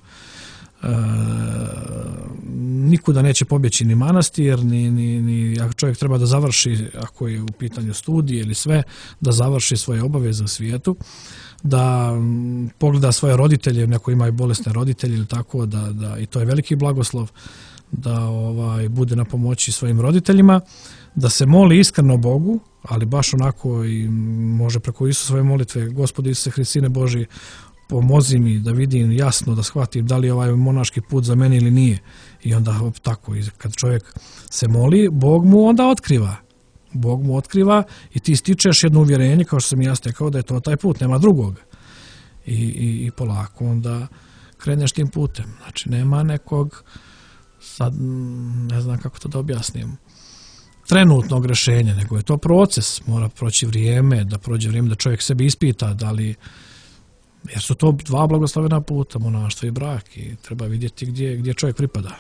Speaker 7: Nikuda neće pobjeći ni manastir, ni ako čovjek treba da završi, ako je u pitanju studije ili sve, da završi svoje obaveze u svijetu, da pogleda svoje roditelje, neko ima i bolesne roditelje ili tako, da i to je veliki blagoslov, da bude na pomoći svojim roditeljima, da se moli iskreno Bogu, ali baš onako i može preko Isusove molitve: Gospodи Isuse Hriste, Sine Božji, pomozi mi da vidim jasno, da shvatim da li je ovaj monaški put za mene ili nije. I onda tako, kad čovjek se moli, Bog mu onda otkriva. Bog mu otkriva i ti stičeš jedno uvjerenje, kao što sam ja stekao, da je to taj put, nema drugog. I polako onda kreneš tim putem. Znači, nema nekog, sad ne znam kako to da objasnim, trenutnog rješenja, nego je to proces. Mora proći vrijeme, da čovjek sebi ispita da li, jer su to dva blagoslovena puta, monaštvo i brak, i treba vidjeti gdje čovjek pripada.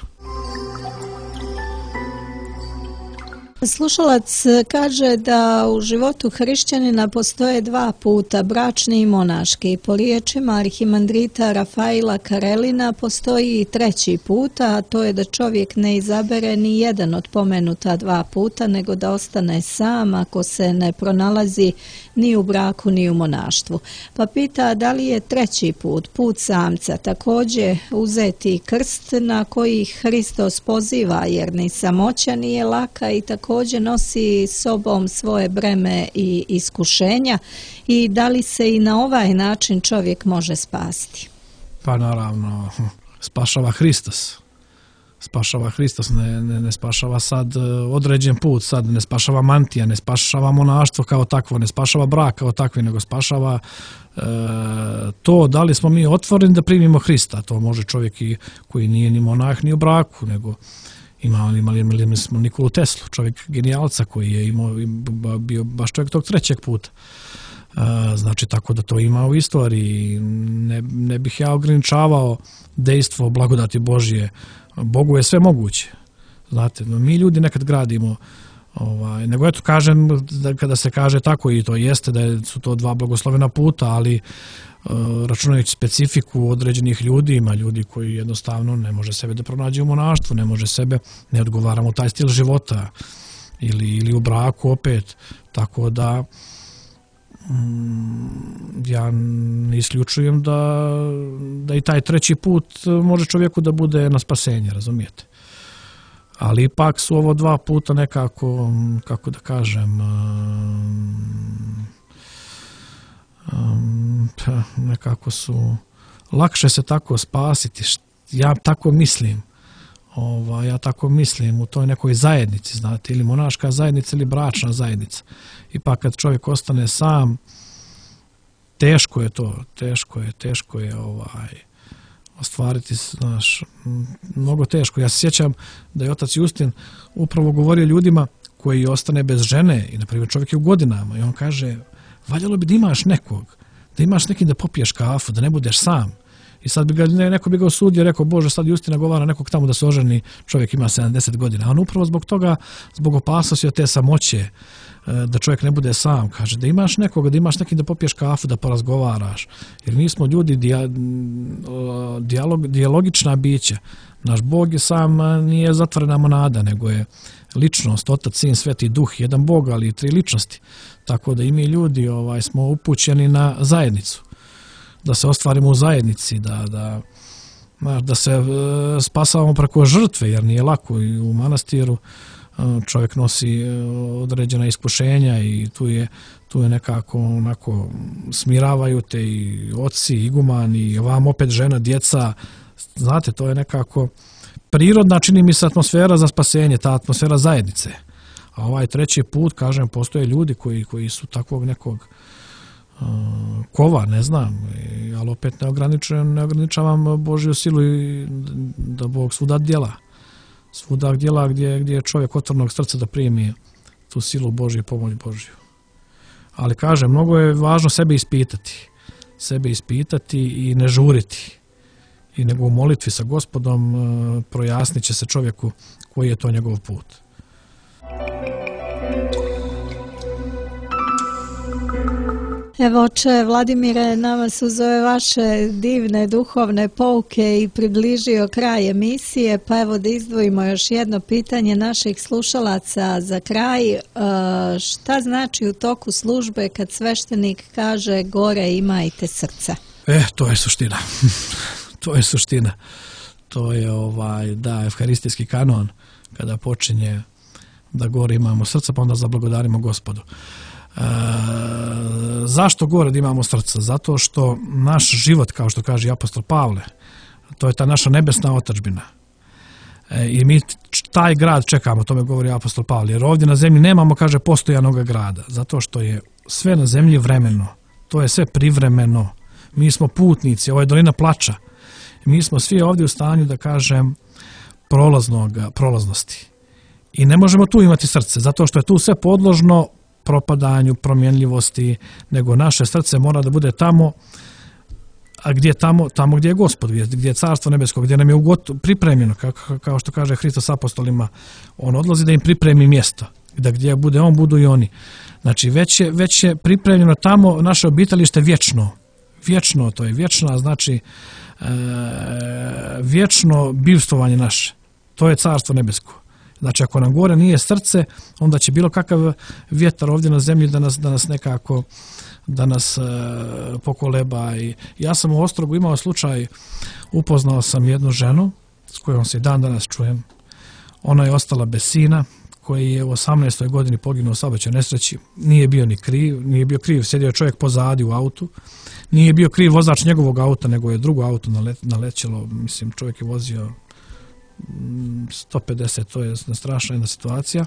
Speaker 6: Slušalac kaže da u životu hrišćanina postoje dva puta, bračni i monaški. Po riječima arhimandrita Rafaila Karelina postoji i treći put, a to je da čovjek ne izabere ni jedan od pomenuta dva puta, nego da ostane sam ako se ne pronalazi ni u braku ni u monaštvu. Pa pita da li je treći put, put samca, također uzeti krst na koji Hristos poziva, jer ni samoća nije laka i također nosi sobom svoje breme i iskušenja, i da li se i na ovaj način čovjek može spasti?
Speaker 7: Pa naravno, spašava Hristos. Spašava Hristos, ne spašava sad određen put, sad ne spašava mantija, ne spašava monaštvo kao takvo, ne spašava brak kao takvi, nego spašava to da li smo mi otvoreni da primimo Hrista. To može čovjek koji nije ni monah ni u braku, nego Imali smo Nikolu Teslu, čovjek genijalca koji je bio baš čovjek tog trećeg puta. Znači, tako da to ima u istoriji. Ne bih ja ograničavao dejstvo blagodati Božje. Bogu je sve moguće. Znate, mi ljudi nekad gradimo, nego eto kažem, kada se kaže tako, i to jeste da su to dva blagoslovena puta, ali računajući specifiku određenih ljudi, ima ljudi koji jednostavno ne može sebe da pronađe u monaštvu, ne odgovara mu taj stil života ili u braku opet, tako da ja ne isključujem da i taj treći put može čovjeku da bude na spasenje, razumijete? Ali ipak su ovo dva puta nekako, kako da kažem, nekako su lakše se tako spasiti. Ja tako mislim u toj nekoj zajednici, znate, ili monaška zajednica ili bračna zajednica. Ipak kad čovjek ostane sam, teško je ostvariti, znaš, mnogo teško. Ja se sjećam da je otac Justin upravo govorio ljudima koji ostane bez žene, i na primjer čovjek je u godinama, i on kaže, valjalo bi da imaš nekog, da imaš nekim da popiješ kafu, da ne budeš sam. I sad neko bi ga osudio, rekao, Bože, sad Justin nagovara nekog tamo da se oženi, čovjek ima 70 godina. A on upravo zbog toga, zbog opasnosti od te samoće, da čovjek ne bude sam, kaže, da imaš nekoga, da imaš nekim da popiješ kafu, da porazgovaraš. Jer mi smo ljudi dijalogična bića. Naš Bog je sam, nije zatvorena monada, nego je ličnost, Otac, Sin, Sveti Duh, jedan Bog, ali i tri ličnosti. Tako da i mi ljudi smo upućeni na zajednicu. Da se ostvarimo u zajednici, da se spasavamo preko žrtve, jer nije lako i u manastiru čovjek nosi određena iskušenja i tu je nekako onako smiravaju te i oci, igumani, i vam opet žena, djeca, znate, to je nekako prirodna, čini mi se, atmosfera za spasenje, ta atmosfera zajednice. A ovaj treći put, kažem, postoje ljudi koji su takvog nekog kova, ne znam, ali opet ne ograničavam Božju silu i da Bog svuda djela gdje je čovjek otvornog srca da primi tu silu Božju i pomoć Božju. Ali kažem, mnogo je važno sebe ispitati i ne žuriti. I nego u molitvi sa Gospodom projasnit će se čovjeku koji je to njegov put.
Speaker 6: Evo, oče Vladimire, nama su uz ove vaše divne duhovne pouke i približio kraj emisije, pa evo da izdvojimo još jedno pitanje naših slušalaca za kraj. Šta znači u toku službe kad sveštenik kaže gore imajte srce?
Speaker 7: To je suština. To je suština. To je evharistijski kanon, kada počinje da gore imamo srce, pa onda zablagodarimo Gospodu. Zašto gore da imamo srce? Zato što naš život, kao što kaže apostol Pavle, to je ta naša nebesna otadžbina. I mi taj grad čekamo, tome govori apostol Pavle, jer ovdje na zemlji nemamo, kaže, postojanog grada, zato što je sve na zemlji vremeno. To je sve privremeno. Mi smo putnici, ovo je dolina plača. Mi smo svi ovdje u stanju, da kažem, prolaznosti. I ne možemo tu imati srce, zato što je tu sve podložno propadanju, promjenljivosti, nego naše srce mora da bude tamo, a gdje tamo gdje je Gospod, gdje je Carstvo nebesko, gdje nam je pripremljeno, kao što kaže Hristos apostolima, on odlazi da im pripremi mjesto, da gdje bude on, budu i oni. Znači, već je pripremljeno tamo naše obitalište vječno, to je vječna, znači vječno bivstvovanje naše, to je Carstvo nebesko. Znači, ako nam gore nije srce, onda će bilo kakav vjetar ovdje na zemlji da nas pokoleba. I ja sam u Ostrogu imao slučaj, upoznao sam jednu ženu s kojom se i dan danas čujem. Ona je ostala bez sina, koji je u 18. godini poginuo u saobraćajnoj nesreći. Nije bio kriv, sjedio je čovjek pozadi u autu. Nije bio kriv vozač njegovog auta, nego je drugo auto nalećelo. Mislim, čovjek je vozio 150, to je strašna jedna situacija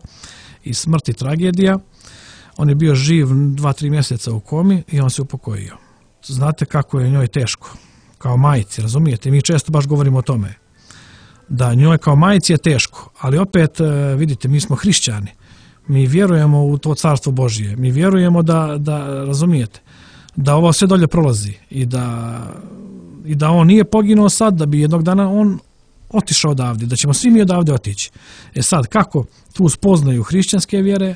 Speaker 7: i smrt i tragedija. On je bio živ 2-3 mjeseca u komi i on se upokojio. Znate kako je njoj teško, kao majci, razumijete? Mi često baš govorimo o tome. da njoj kao majci je teško, ali opet vidite, mi smo hrišćani, mi vjerujemo u to carstvo Božije, mi vjerujemo da razumijete, da ovo sve dolje prolazi i da on nije poginuo sad, da bi jednog dana on otišao odavde, da ćemo svi mi odavde otići. Sad, kako tu spoznaju hrišćanske vjere,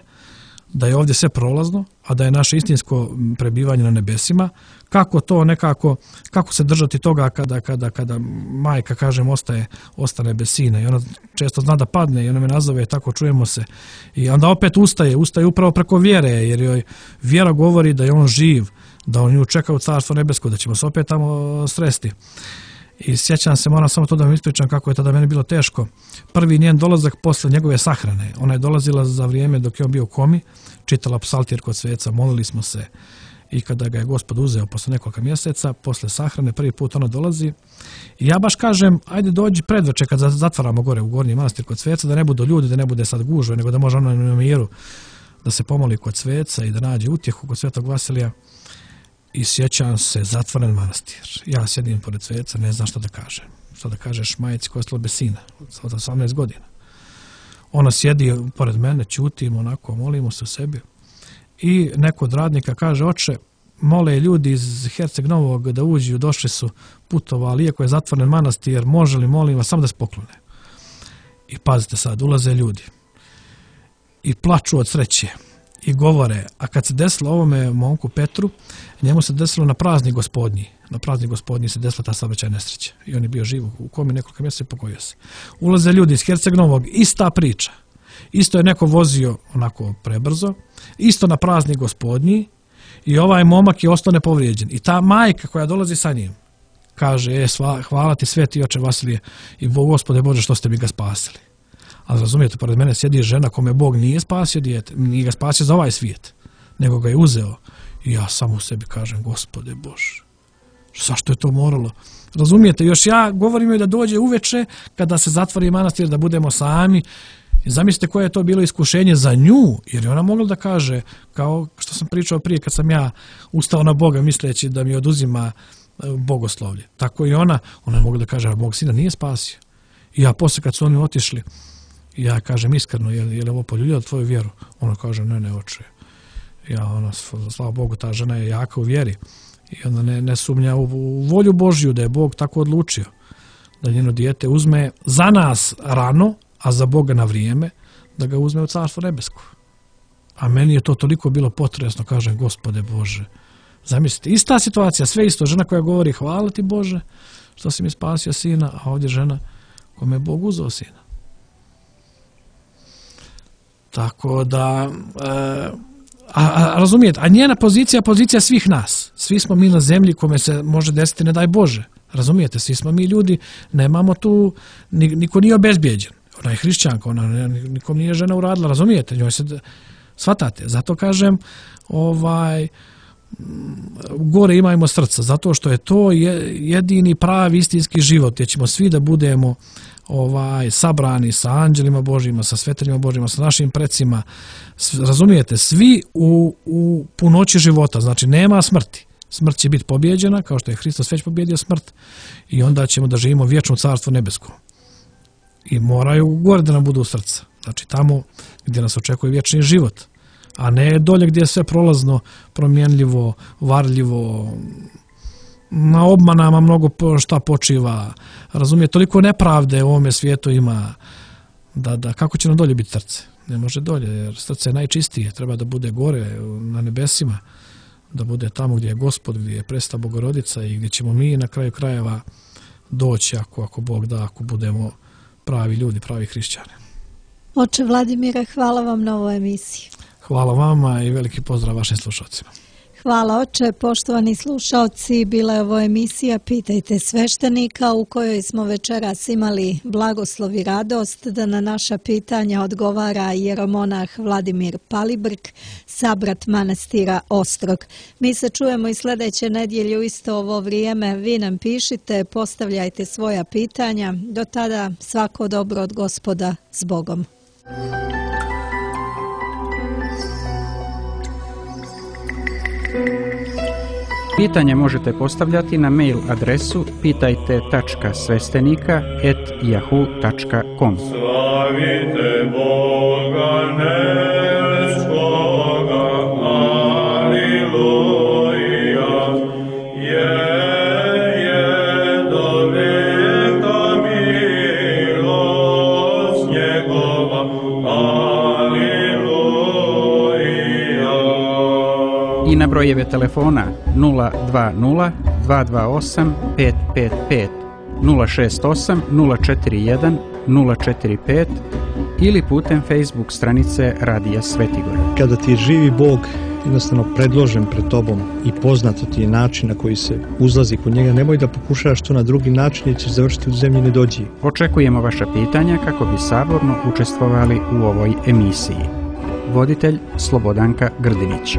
Speaker 7: da je ovdje sve prolazno, a da je naše istinsko prebivanje na nebesima, kako to nekako, kako se držati toga kada majka, kažem, ostane bez sina i ona često zna da padne i ona me nazove, tako čujemo se i onda opet ustaje upravo preko vjere, jer joj vjera govori da je on živ, da on nju čeka u carstvo nebesko, da ćemo se opet tamo sresti. I sjećam se, moram samo to da vam ispričam kako je tada meni bilo teško. Prvi njen dolazak posle njegove sahrane. Ona je dolazila za vrijeme dok je on bio u komi, čitala psaltir kod sveca, molili smo se i kada ga je Gospod uzeo posle nekoliko mjeseca, posle sahrane, prvi put ona dolazi i ja baš kažem, ajde dođi predveče kad zatvaramo gore u Gornji manastir kod sveca, da ne budu ljudi, da ne bude sad gužve, nego da može ona na miru da se pomoli kod sveca i da nađe utjehu kod Svetog Vasilija. I sjećam se, zatvoren manastir. Ja sjedim pored sveca, ne znam što da kažem. Što da kažeš majci koja je ostala bez sina od 18 godina. Ona sjedi pored mene, ćutim, onako, molimo se o sebi. I neko od radnika kaže, oče, mole ljudi iz Herceg Novog da uđu, došli su, putovali, iako je zatvoren manastir, može li, molim vas, samo da se poklone. I pazite sad, ulaze ljudi. I plaču od sreće. I govore, a kad se desilo ovome momku Petru, njemu se desilo na praznik Gospodnji. Na praznik Gospodnji se desila ta saobraćajna nesreća. I on je bio živ u komi nekoliko mjeseca i pokojio se. Ulaze ljudi iz Herceg Novog, ista priča. Isto je neko vozio onako prebrzo, isto na praznik Gospodnji i ovaj momak je ostao nepovrijeđen. I ta majka koja dolazi sa njim kaže, hvala ti sveti oče Vasilije i Gospode Bože što ste mi ga spasili. Ali razumijete, pored mene sjedi žena kome Bog nije spasio dijete, nije ga spasio za ovaj svijet, nego ga je uzeo. I ja samo u sebi kažem, Gospode Bože, zašto je to moralo? Razumijete, još ja govorim joj da dođe uveče kada se zatvori manastir, da budemo sami. I zamislite koje je to bilo iskušenje za nju, jer je ona mogla da kaže, kao što sam pričao prije kad sam ja ustao na Boga misleći da mi oduzima bogoslovlje. Tako i ona je mogla da kaže, mog sina nije spasio. I ja poslije kad su oni otišli, ja kažem iskreno, je li ovo poljuljalo tvoju vjeru? Ona kaže, ne oče. Ja, slava Bogu, ta žena je jaka u vjeri. I onda ne sumnja u volju Božju, da je Bog tako odlučio. Da njeno dijete uzme za nas rano, a za Boga na vrijeme, da ga uzme u carstvo nebesko. A meni je to toliko bilo potresno, kažem, Gospode Bože. Zamislite, ista situacija, sve isto. Žena koja govori, hvala ti Bože, što si mi spasio sina, a ovdje žena kome je Bog uzeo sina. Tako da, razumijete, a njena pozicija svih nas. Svi smo mi na zemlji kome se može desiti, ne daj Bože. Razumijete, svi smo mi ljudi, nemamo tu, niko nije obezbijeđen. Ona je hrišćanka, nikom nije žena uradila, razumijete, njoj se, shvatate. Zato kažem, gore imajmo srca, zato što je to jedini pravi istinski život, gdje ćemo svi da budemo sabrani sa anđelima Božjima, sa sveteljima Božjima, sa našim precima, razumijete, svi u punoći života, znači nema smrti. Smrt će biti pobjeđena, kao što je Hristos već pobjedio smrt, i onda ćemo da živimo vječno carstvo nebesko. I moraju gore da nam budu u srca, znači tamo gdje nas očekuje vječni život, a ne dolje gdje je sve prolazno, promjenljivo, varljivo, na obmanama mnogo šta počiva, razumije, toliko nepravde u ovome svijetu ima, da kako će nam dolje biti srce? Ne može dolje, jer srce je najčistije, treba da bude gore na nebesima, da bude tamo gdje je Gospod, gdje je presveta Bogorodica i gdje ćemo mi na kraju krajeva doći, ako Bog da, ako budemo pravi ljudi, pravi hrišćani.
Speaker 6: Oče Vladimire, hvala vam na ovoj emisiji.
Speaker 7: Hvala vama i veliki pozdrav vašim slušalcima.
Speaker 6: Hvala oče, poštovani slušalci, bila je ovo emisija Pitajte sveštenika u kojoj smo večeras imali blagoslov i radost da na naša pitanja odgovara jeromonah Vladimir Palibrk, sabrat manastira Ostrog. Mi se čujemo i sljedeće nedjelje u isto ovo vrijeme. Vi nam pišite, postavljajte svoja pitanja. Do tada svako dobro od Gospoda, s Bogom.
Speaker 1: Pitanje možete postavljati na mail adresu pitajte.svestenika@yahoo.com.
Speaker 4: Slavite Boga nebeskoga, aleluja, je do veka milost njegova, aleluja.
Speaker 1: I na brojeve telefona 020 228 555, 068 041 045 ili putem Facebook stranice Radija Svetigora.
Speaker 5: Kada ti je živi Bog jednostavno predložen pred tobom i poznato ti je način na koji se uzlazi kod njega, nemoj da pokušavaš to na drugi način jer ćeš završiti u zemlji nedođiji.
Speaker 1: Očekujemo vaša pitanja kako bi saborno učestvovali u ovoj emisiji. Voditelj Slobodanka Grdinić.